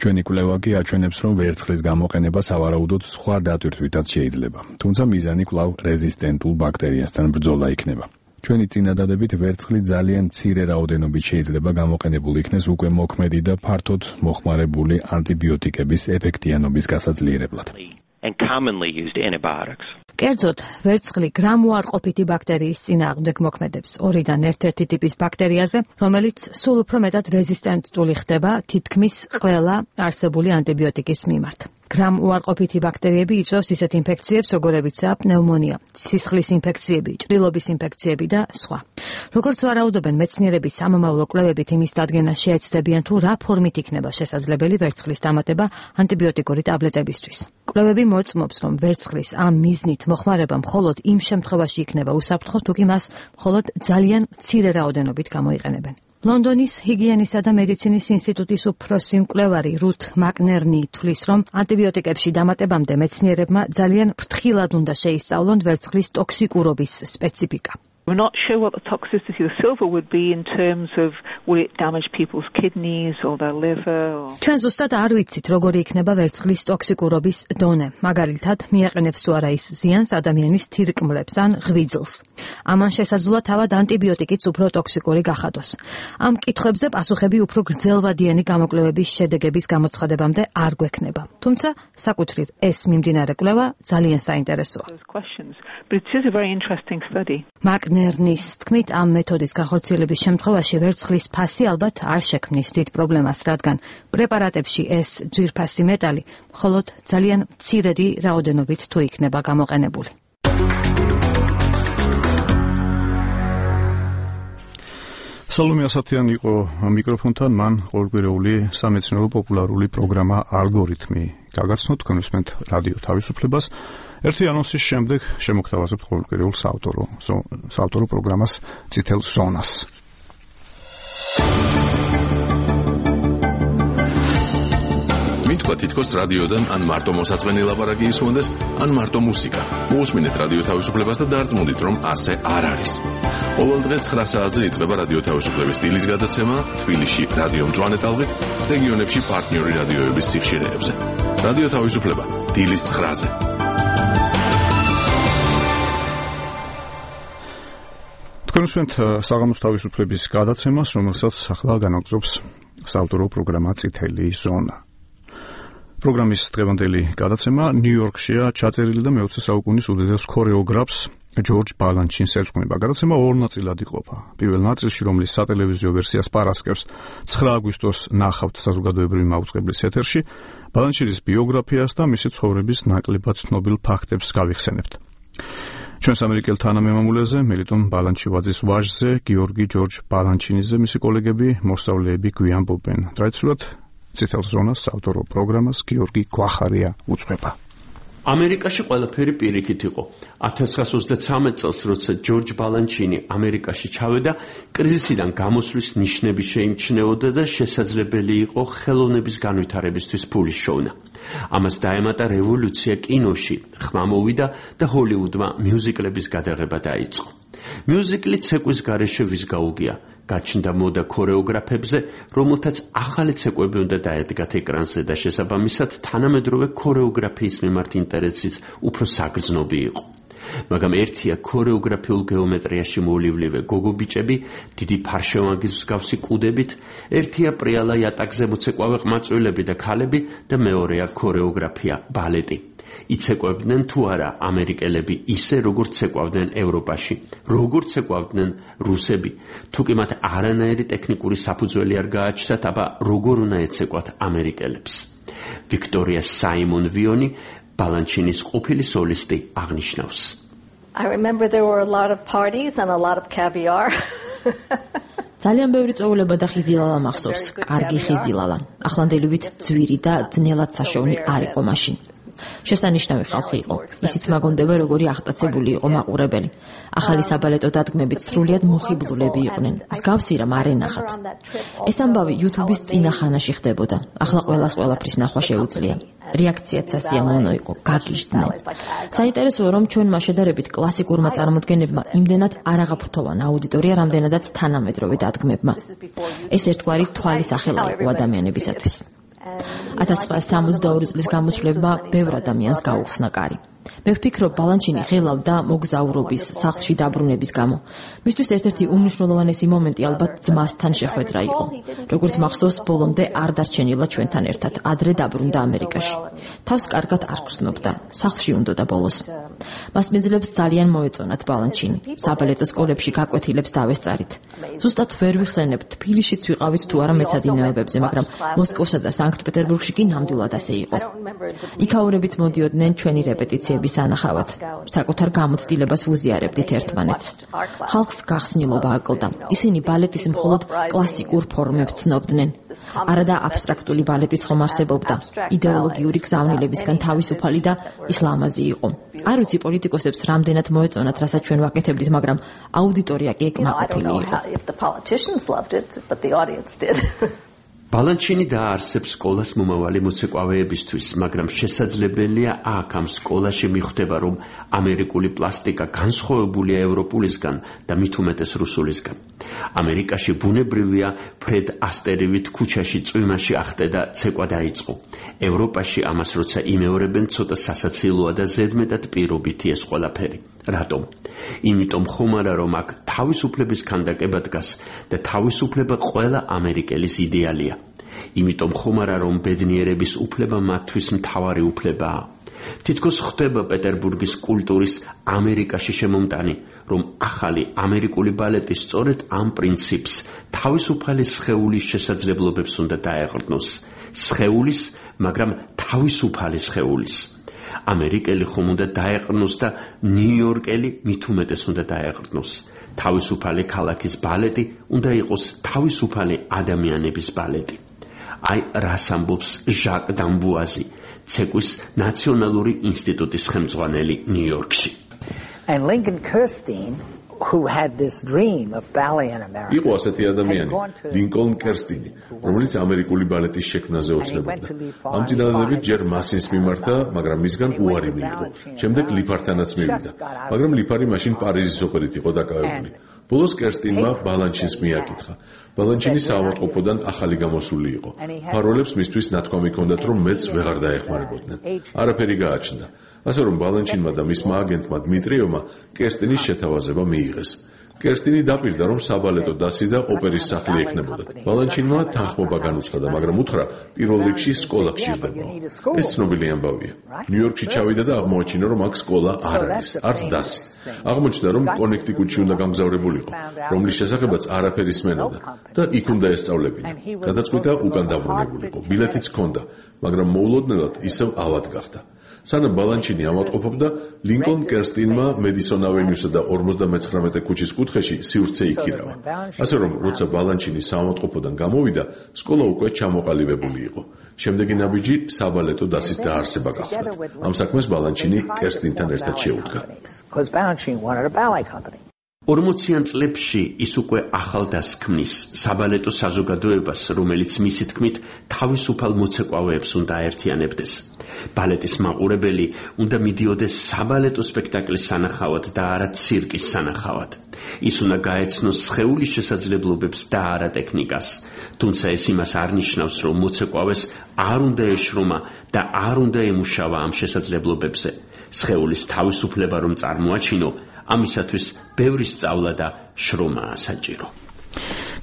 ჩვენი კვლევა კი აჩვენებს, რომ ვერცხლის გამოყენება სავარაუდოდ სხვა დატვირთვითაც შეიძლება. თუმცა მიზანი კვლავ რეზისტენტულ ბაქტერიასთან ბრძოლა იქნება. ჩვენი წინადადებით ვერცხლი ძალიან მცირე რაოდენობით შეიძლება გამოყენებული იქნეს უკვე მოქმედი და ფართოდ მოხმარებული ანტიბიოტიკების ეფექტიანობის გასაძლიერებლად. And commonly used antibiotics. კერძოდ, ვერცხლი გრამუარყოფითი ბაქტერიის წინააღმდეგ მოქმედებს ორიდან ერთ-ერთი ტიპის ბაქტერიაზე, რომელიც სულ უფრო მეტად რეზისტენტული ხდება თითქმის ყველა არსებული ანტიბიოტიკის მიმართ. გრამუარყოფითი ბაქტერიები იწვევს ისეთ ინფექციებს, როგორებიცაა პნევმონია, სისხლის ინფექციები, ჭრილობის ინფექციები და სხვა. როგორც ვარაუდობენ მეცნიერები, სამომავლო კვლევებით იმის დადგენა შეეცდებიან, თუ რა ფორმით იქნება შესაძლებელი ვერცხლის დამატება ანტიბიოტიკური ტაბლეტებისთვის. კვლევები მოწმობს, რომ ვერცხლის ამ მიზნით მოხმარება მხოლოდ იმ შემთხვევაში იქნება უსაფრთხო, თუ კი მას მხოლოდ ძალიან მცირე რაოდენობით გამოიყენებენ. ლონდონის ჰიგიენისა და მედიცინის ინსტიტუტის უფროსი მკვლევარი რუთ მაკნერნი თვლის, რომ ანტიბიოტიკებში დამატებამდე მეცნიერებმა ძალიან ფრთხილად უნდა შეისწავლონ ვერცხლის ტოქსიკურობის სპეციფიკა. We're not sure what the toxicity of silver would be in terms of would it damage people's kidneys or their liver or ჩვენ ზუსტად არ ვიცით, როგორი იქნება ვერცხლის ტოქსიკურობის დონე. მაგალითად, მიაყენებს თუ არა ის ზიანს ადამიანის თირკმლებს ან ღვიძლს. ამან შესაძლოა თავად ანტიბიოტიკიც უფრო ტოქსიკური გახადოს. ამ კითხვებზე პასუხები უფრო გრძელვადიანი გამოკვლევების შედეგების გამოცხადებამდე არ გვექნება. თუმცა, საკუთრივ ეს მიმდინარე კვლევა ძალიან საინტერესოა. But it is a very interesting study. მაკნერნის თქმით, ამ მეთოდის განხორციელების შემთხვევაში ვერცხლის ფასი ალბათ არ შექმნის დიდ პრობლემას, რადგან პრეპარატებში ეს ძვირფასი მეტალი მხოლოდ ძალიან მცირედი რაოდენობით თუ იქნება გამოყენებული. სალომე ასათიანი იყო მიკროფონთან, მან ყოველკვირეული სამეცნიერო პოპულარული პროგრამა ალგორითმი გაგაცნოთ, თქვენ უსმენთ რადიო თავისუფლებას. ერთი ანონსის შემდეგ შემოგთავაზებთ ყოველკვირეულ საავტორო საავტორო პროგრამას წითელ ზონას. მითქვა თითქოს რადიოდან ან მარტო მოსაწყენი ლაპარაკი ისმონდეს, ან მარტო მუსიკა. მოусმინეთ რადიო თავისუფლებას და დარწმუნდით, რომ ასე არ არის. ყოველდღე ცხრა საათზე იწყება რადიო თავისუფლების დილის გადაცემა თბილისში რადიო მწვანე ტალღით, რეგიონებში პარტნიორი რადიოების სიხშირეებზე. რადიო თავისუფლება დილის ცხრაზე. თქვენ უსმენთ საღამოს თავისუფლების გადაცემას, რომელსაც ახლა განაგრძობს საავტორო პროგრამა წითელი ზონა. პროგრამის დღევანდელი გადაცემა ნიუ-იორკშია ჩაწერილი და მეოცე საუკუნის უდიდეს ქორეოგრაფს ჯორჯ ბალანჩინს ერწყმება. გადაცემა ორ ნაწილად იყოფა. პირველ ნაწილში, რომლის სატელევიზიო ვერსიას პარასკევს ცხრა აგვისტოს ნახავთ საზოგადოებრივი მაუწყებლის ეთერში, ბალანჩინის ბიოგრაფიას და მისი ცხოვრების ნაკლებად ცნობილ ფაქტებს გავიხსენებთ. ჩვენს ამერიკელ თანამემამულეზე, მელიტონ ბალანჩივაძის ვაჟზე, გიორგი ჯორჯ ბალანჩინიზე მისი კოლეგები, მოსწავლეები გვიამბობენ. ტრადიციულად წითელ ზონას საავტორო პროგრამას გიორგი გვახარია უძღვება. ამერიკაში ყველაფერი პირიქით იყო. ათას ცხრაას ოცდათვრამეტ წელს, როცა ჯორჯ ბალანჩინი ამერიკაში ჩავედა, კრიზისიდან გამოსვლის ნიშნები შეიმჩნეოდა და შესაძლებელი იყო ხელოვნების განვითარებისთვის ფულის შოვნა. ამას დაემატა რევოლუცია კინოში, ხმა მოვიდა და ჰოლივუდმა მიუზიკლების გადაღება დაიწყო. მიუზიკლი ცეკვის გარეშე ვიზგაუგია. გაჩნდა მოდა ქორეოგრაფებზე, რომელთაც ახალი ცეკვები უნდა დაედგათ ეკრანზე და შესაბამისად თანამედროვე ქორეოგრაფიის მიმართ ინტერესიც უფრო საგრძნობი იყო. მაგრამ ერთია ქორეოგრაფიულ გეომეტრიაში მოვლივლივე გოგობიჭები, დიდი ფარშევანგის მსგავსი კუდებით, ერთია პრიალა იატაკზე მოცეკვავე ყმაწვილები და ქალები და მეორეა ქორეოგრაფია, ბალეტი. იცეკვებდნენ თუ არა ამერიკელები ისე, როგორც ცეკვავდნენ ევროპაში, როგორც ცეკვავდნენ რუსები, თუ კი მათ არანაირი ტექნიკური საფუძველი არ გააჩნდათ, აბა როგორ უნდა ეცეკვათ ამერიკელებს. ვიქტორია საიმონ ვიონი, ბალანჩინის ყოფილი სოლისტი, აღნიშნავს. I remember there were a lot of parties and a lot of caviar. ძალიან ბევრი წვეულება და ხიზილალა მახსოვს, კარგი ხიზილალა. ახლანდელივით ძვირი და ძნელად საშოვნი არ იყო მაშინ. შესანიშნავი ხალხი იყო. ისიც მაგონდება, როგორი აღტაცებული იყო მაყურებელი. ახალი საბალეტო დადგმებით სრულიად მოხიბლულები იყვნენ. მსგავსი რამ არ ენახათ. ეს ამბავი YouTube-ის წინა ხანაში ხდებოდა. ახლა ყველას ყველაფრის ნახვა შეუძლია. რეაქციაც სასიამოვნო იყო, გაგიჟდნენ. საინტერესოა, რომ ჩვენმა შედარებით კლასიკურმა წარმოდგენებმა იმდენად არ აღაფრთოვან აუდიტორია, რამდენადაც თანამედროვე დადგმებმა. ეს ერთგვარი თვალის ახელა იყო ადამიანებისათვის. ათას ცხრაას სამოცდაორი წლის გამოსვლებმა ბევრ ადამიანს გაუხსნა კარი. მე ვფიქრობ, ბალანჩინი ღელავდა მოგზაურობის, სახლში დაბრუნების გამო. მისთვის ერთ-ერთი უმნიშვნელოვანესი მომენტი ალბათ ძმასთან შეხვედრა იყო. როგორც მახსოვს, ბოლომდე არ დარჩენილა ჩვენთან ერთად, ადრე დაბრუნდა ამერიკაში. თავს კარგად არ გრძნობდა, სახლში უნდოდა ბოლოს. მას მეძლებს ძალიან მოეწონათ ბალანჩინი. საბალეტო სკოლებში გაკვეთილებს დავესწარით. ზუსტად ვერ ვიხსენებ, თბილისშიც ვიყავით თუ არა მეცადინეობებზე, მაგრამ მოსკოვსა და სანქტ-პეტერბურგში კი ნამდვილად ასე იყო. იქაურებით მოდიოდნენ ჩვენი რეპეტიციების სანახავად. საკუთარ გამოცდილებას ვუზიარებდით ერთმანეთს. ხალხს გახსნილობა აკლდა. ისინი ბალეტის მხოლოდ კლასიკურ ფორმებს ცნობდნენ. არადა აბსტრაქტული ბალეტიც ხომ არსებობდა. იდეოლოგიური გზავნილებისგან თავისუფალი და ისლამაზი იყო. არ ვიცი პოლიტიკოსებს რამდენად მოეწონათ, რასაც ჩვენ ვაკეთებდით, მაგრამ აუდიტორია კი ეკმაყოფილი იყო. ბალანჩინი დაარსებს სკოლას მომავალი მოცეკვავეებისთვის, მაგრამ შესაძლებელია აქ ამ სკოლაში მიხვდება, რომ ამერიკული პლასტიკა განსხვავებულია ევროპულისგან და მით უმეტეს რუსულისგან. ამერიკაში ბუნებრივია ფრედ ასტერივით ქუჩაში წვიმაში ახტე და ცეკვა დაიწყო. ევროპაში ამას როცა იმეორებენ, ცოტა სასაცილოა და ზედმეტად პირობითი ეს ყველაფერი. რატომ? იმიტომ ხომ არა, რომ აქ თავისუფლების ქანდაკება დგას და თავისუფლება ყველა ამერიკელის იდეალია. იმიტომ ხომ არა, რომ ბედნიერების უფლება მათთვის მთავარი უფლებაა. თითქოს ხდება პეტერბურგის კულტურის ამერიკაში შემომტანი, რომ ახალი ამერიკული ბალეტი სწორედ ამ პრინციპს თავისუფალი სხეულის შესაძლებლობებს უნდა დაეყრდნოს. სხეულის, მაგრამ თავისუფალი სხეულის. ამერიკელი ხომ უნდა დაეყრდნოს და ნიუ-იორკელი მით უმეტეს უნდა დაეყრდნოს. თავისუფალი ქალაქის ბალეტი უნდა იყოს თავისუფალი ადამიანების ბალეტი. აი რას ამბობს ჟაკ დამბუაზი, ცეკვის ნაციონალური ინსტიტუტის ხელმძღვანელი ნიუ-იორკში. And Lincoln Kirstein, who had this dream of ballet in America. იყო ასეთი ადამიანი, ლინკოლნ კერსტინი, რომელიც ამერიკული ბალეტის შექმნაზე ოცნებობდა. ამ წინადადებით ჯერ მასინს მიმართა, მაგრამ მისგან უარი მიიღო. შემდეგ ლიფართანაც მივიდა, მაგრამ ლიფარი მაშინ პარიზის ოპერით იყო დაკავებული. ბოლოს კერსტინმა ბალანჩინს მიაკითხა. ბალანჩინი საავადმყოფოდან ახალი გამოსული იყო. ფაროლებს მისთვის ნათქვამი ჰქონდათ, რომ მეც ვეღარ დაეხმარებოდნენ. არაფერი გააჩნდა. ასე რომ ბალანჩინმა და მისმა აგენტმა დმიტრიევმა კერსტინის შეთავაზება მიიღეს. კერსტინი დაპირდა, რომ საბალეტო დასი და ოპერის სახლი ექნებოდათ. ბალანჩინმა თანხმობა განუცხადა, მაგრამ უთხრა, პირველ რიგში სკოლა გჭირდებაო. ეს ცნობილი ამბავია. ნიუ-იორკში ჩავიდა და აღმოაჩინა, რომ აქ სკოლა არ არის, არც დასი. აღმოჩნდა, რომ კონექტიკუტში უნდა გამგზავრებულიყო, რომლის შესახებაც არაფერი სმენოდა და იქ უნდა ესწავლებინა. გადაწყვიტა უკან დაბრუნებულიყო. ბილეთიც ჰქონდა, მაგრამ მოულოდნელად ისევ ავად გახდა. სანამ ბალანჩინი ავადმყოფობდა, ლინკოლნ კერსტინმა მედისონ ავენიუსა და ორმოცდამეცხრამეტე ქუჩის კუთხეში სივრცე იქირავა. ასე რომ, როცა ბალანჩინი საავადმყოფოდან გამოვიდა, სკოლა უკვე ჩამოყალიბებული იყო. შემდეგი ნაბიჯი საბალეტო დასის დაარსება გახლდათ. ამ საქმეს ბალანჩინი კერსტინთან ერთად შეუდგა. ორმოციან წლებში ის უკვე ახალ დასს ქმნის საბალეტო საზოგადოებას, რომელიც მისი თქმით თავისუფალ მოცეკვავეებს უნდა აერთიანებდეს. ბალეტის მაყურებელი უნდა მიდიოდეს საბალეტო სპექტაკლის სანახავად და არა ცირკის სანახავად. ის უნდა გაეცნოს სხეულის შესაძლებლობებს და არა ტექნიკას. თუმცა ეს იმას არ ნიშნავს, რომ მოცეკვავეს არ უნდა ეშრომა და არ უნდა ემუშავა ამ შესაძლებლობებზე. სხეულის თავისუფლება რომ წარმოაჩინო, ამისათვის ბევრი სწავლა და შრომაა საჭირო.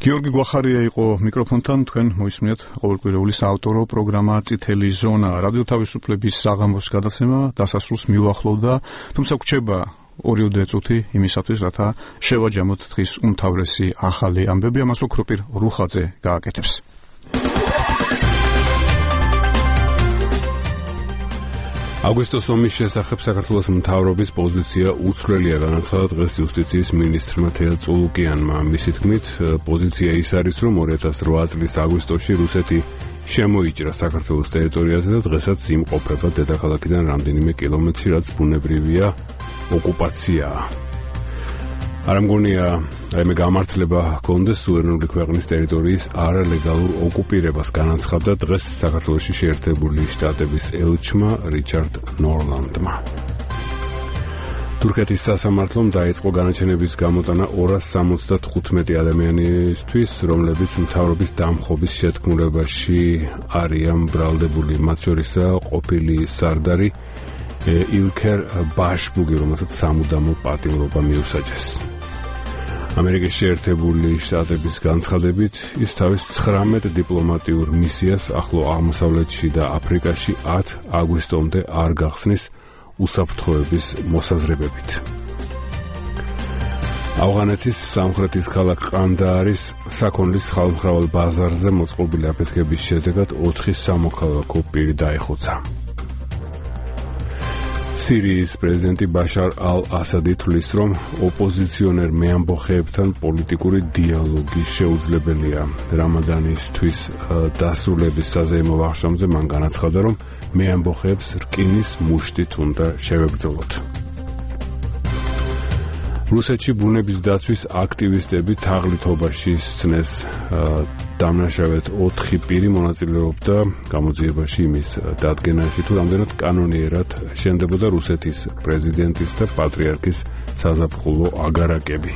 გიორგი გვახარია იყო მიკროფონთან, თქვენ მოისმინეთ ყოველკვირეული საავტორო პროგრამა წითელი ზონა. რადიო თავისუფლების საღამოს გადაცემა დასასრულს მიუახლოვდა, თუმცა გვჩება ორიოდე წუთი იმისათვის, რათა შევაჯამოთ დღის უმთავრესი ახალი ამბები, ამას ოქროპირ რუხაძე გააკეთებს. აგვისტოს ომის შესახებ საქართველოს მთავრობის პოზიცია უცვლელია, განაცხადა დღეს იუსტიციის მინისტრმა თეა წულუკიანმა. მისი თქმით, პოზიცია ის არის, რომ ორი ათას რვა წლის აგვისტოში რუსეთი შემოიჭრა საქართველოს ტერიტორიაზე და დღესაც იმყოფება დედაქალაქიდან რამდენიმე კილომეტრი, რაც ბუნებრივია ოკუპაციაა. არ მგონია რაიმე გამართლება ჰქონდეს სუვერენული ქვეყნის ტერიტორიის არალეგალურ ოკუპირებას, განაცხადა დღეს საქართველოში შეერთებული შტატების ელჩმა რიჩარდ ნორლანდმა. თურქეთის სასამართლომ დაიწყო განაჩენების გამოტანა ორას სამოცდათხუთმეტი ადამიანისთვის, რომლებიც მთავრობის დამხობის შეთქმულებაში არიან ბრალდებული, მათ შორისაა ყოფილი სარდარი ილქერ ბაშბუგი, რომელსაც სამუდამო პატიმრობა მიუსაჯეს. ამერიკის შეერთებული შტატების განცხადებით, ის თავის ცხრამეტ დიპლომატიურ მისიას ახლო აღმოსავლეთში და აფრიკაში ათ აგვისტომდე არ გახსნის უსაფრთხოების მოსაზრებებით. ავღანეთის სამხრეთის ქალაქ ყანდაარის საქონლის ხალხმრავალ ბაზარზე მოწყობილი აფეთქების შედეგად ოთხი სამოქალაქო პირი დაიხოცა. სირიის პრეზიდენტი ბაშარ ალ-ასადი თვლის, რომ ოპოზიციონერ მეამბოხეებთან პოლიტიკური დიალოგი შეუძლებელია. რამადანისთვის დასრულების საზეიმო ვახშამზე მან განაცხადა, რომ მეამბოხეებს რკინის მუშტით უნდა შევებრძოლოთ. რუსეთში ბუნების დაცვის აქტივისტები თაღლითობაში სცნეს დამნაშავედ ოთხი პირი მონაწილეობდა გამოძიებაში იმის დადგენაში, თუ რამდენად კანონიერად შენდებოდა რუსეთის პრეზიდენტის და პატრიარქის საზაფხულო აგარაკები.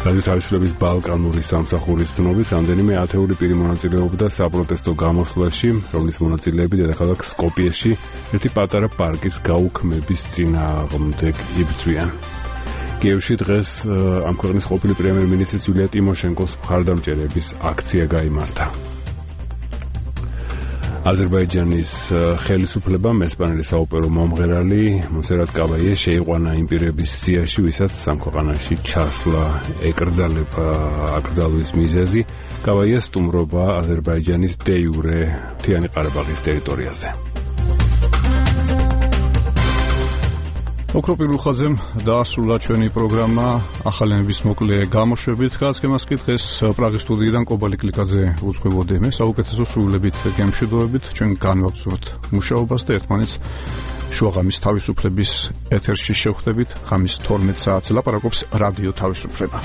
რადიო თავისუფლების ბალკანური სამსახურის ცნობით, რამდენიმე ათეული პირი მონაწილეობდა საპროტესტო გამოსვლაში, რომლის მონაწილეები დედაქალაქ სკოპიეში ერთი პატარა პარკის გაუქმების წინააღმდეგ იბრძვიან. კიევში დღეს ამ ქვეყნის ყოფილი პრემიერ-მინისტრის იულია ტიმოშენკოს მხარდამჭერების აქცია გაიმართა. აზერბაიჯანის ხელისუფლებამ ესპანელი საოპერო მომღერალი მონსერატ კაბაიე შეიყვანა იმ პირების სიაში, ვისაც ამ ქვეყანაში ჩასვლა ეკრძალება აკრძალვის მიზეზი. კაბაიეს სტუმრობა აზერბაიჯანის დე იურე მთიანი ყარაბაღის ტერიტორიაზე. ოქროპირ უხაძემ დაასრულა ჩვენი პროგრამა ახალენების მოკლე გამოშვებით. გასაგემას კი დღეს პრაღის სტუდიიდან კობალი კლიკაძე უძღვებოდი მე საუკეთესო სრულებით გემშვიდობებით. ჩვენ განვაგრძობთ მუშაობას და ერთმანეთს შუაღამის თავისუფლების ეთერში შევხვდებით. ღამის თორმეტ საათზე ლაპარაკობს რადიო თავისუფლება.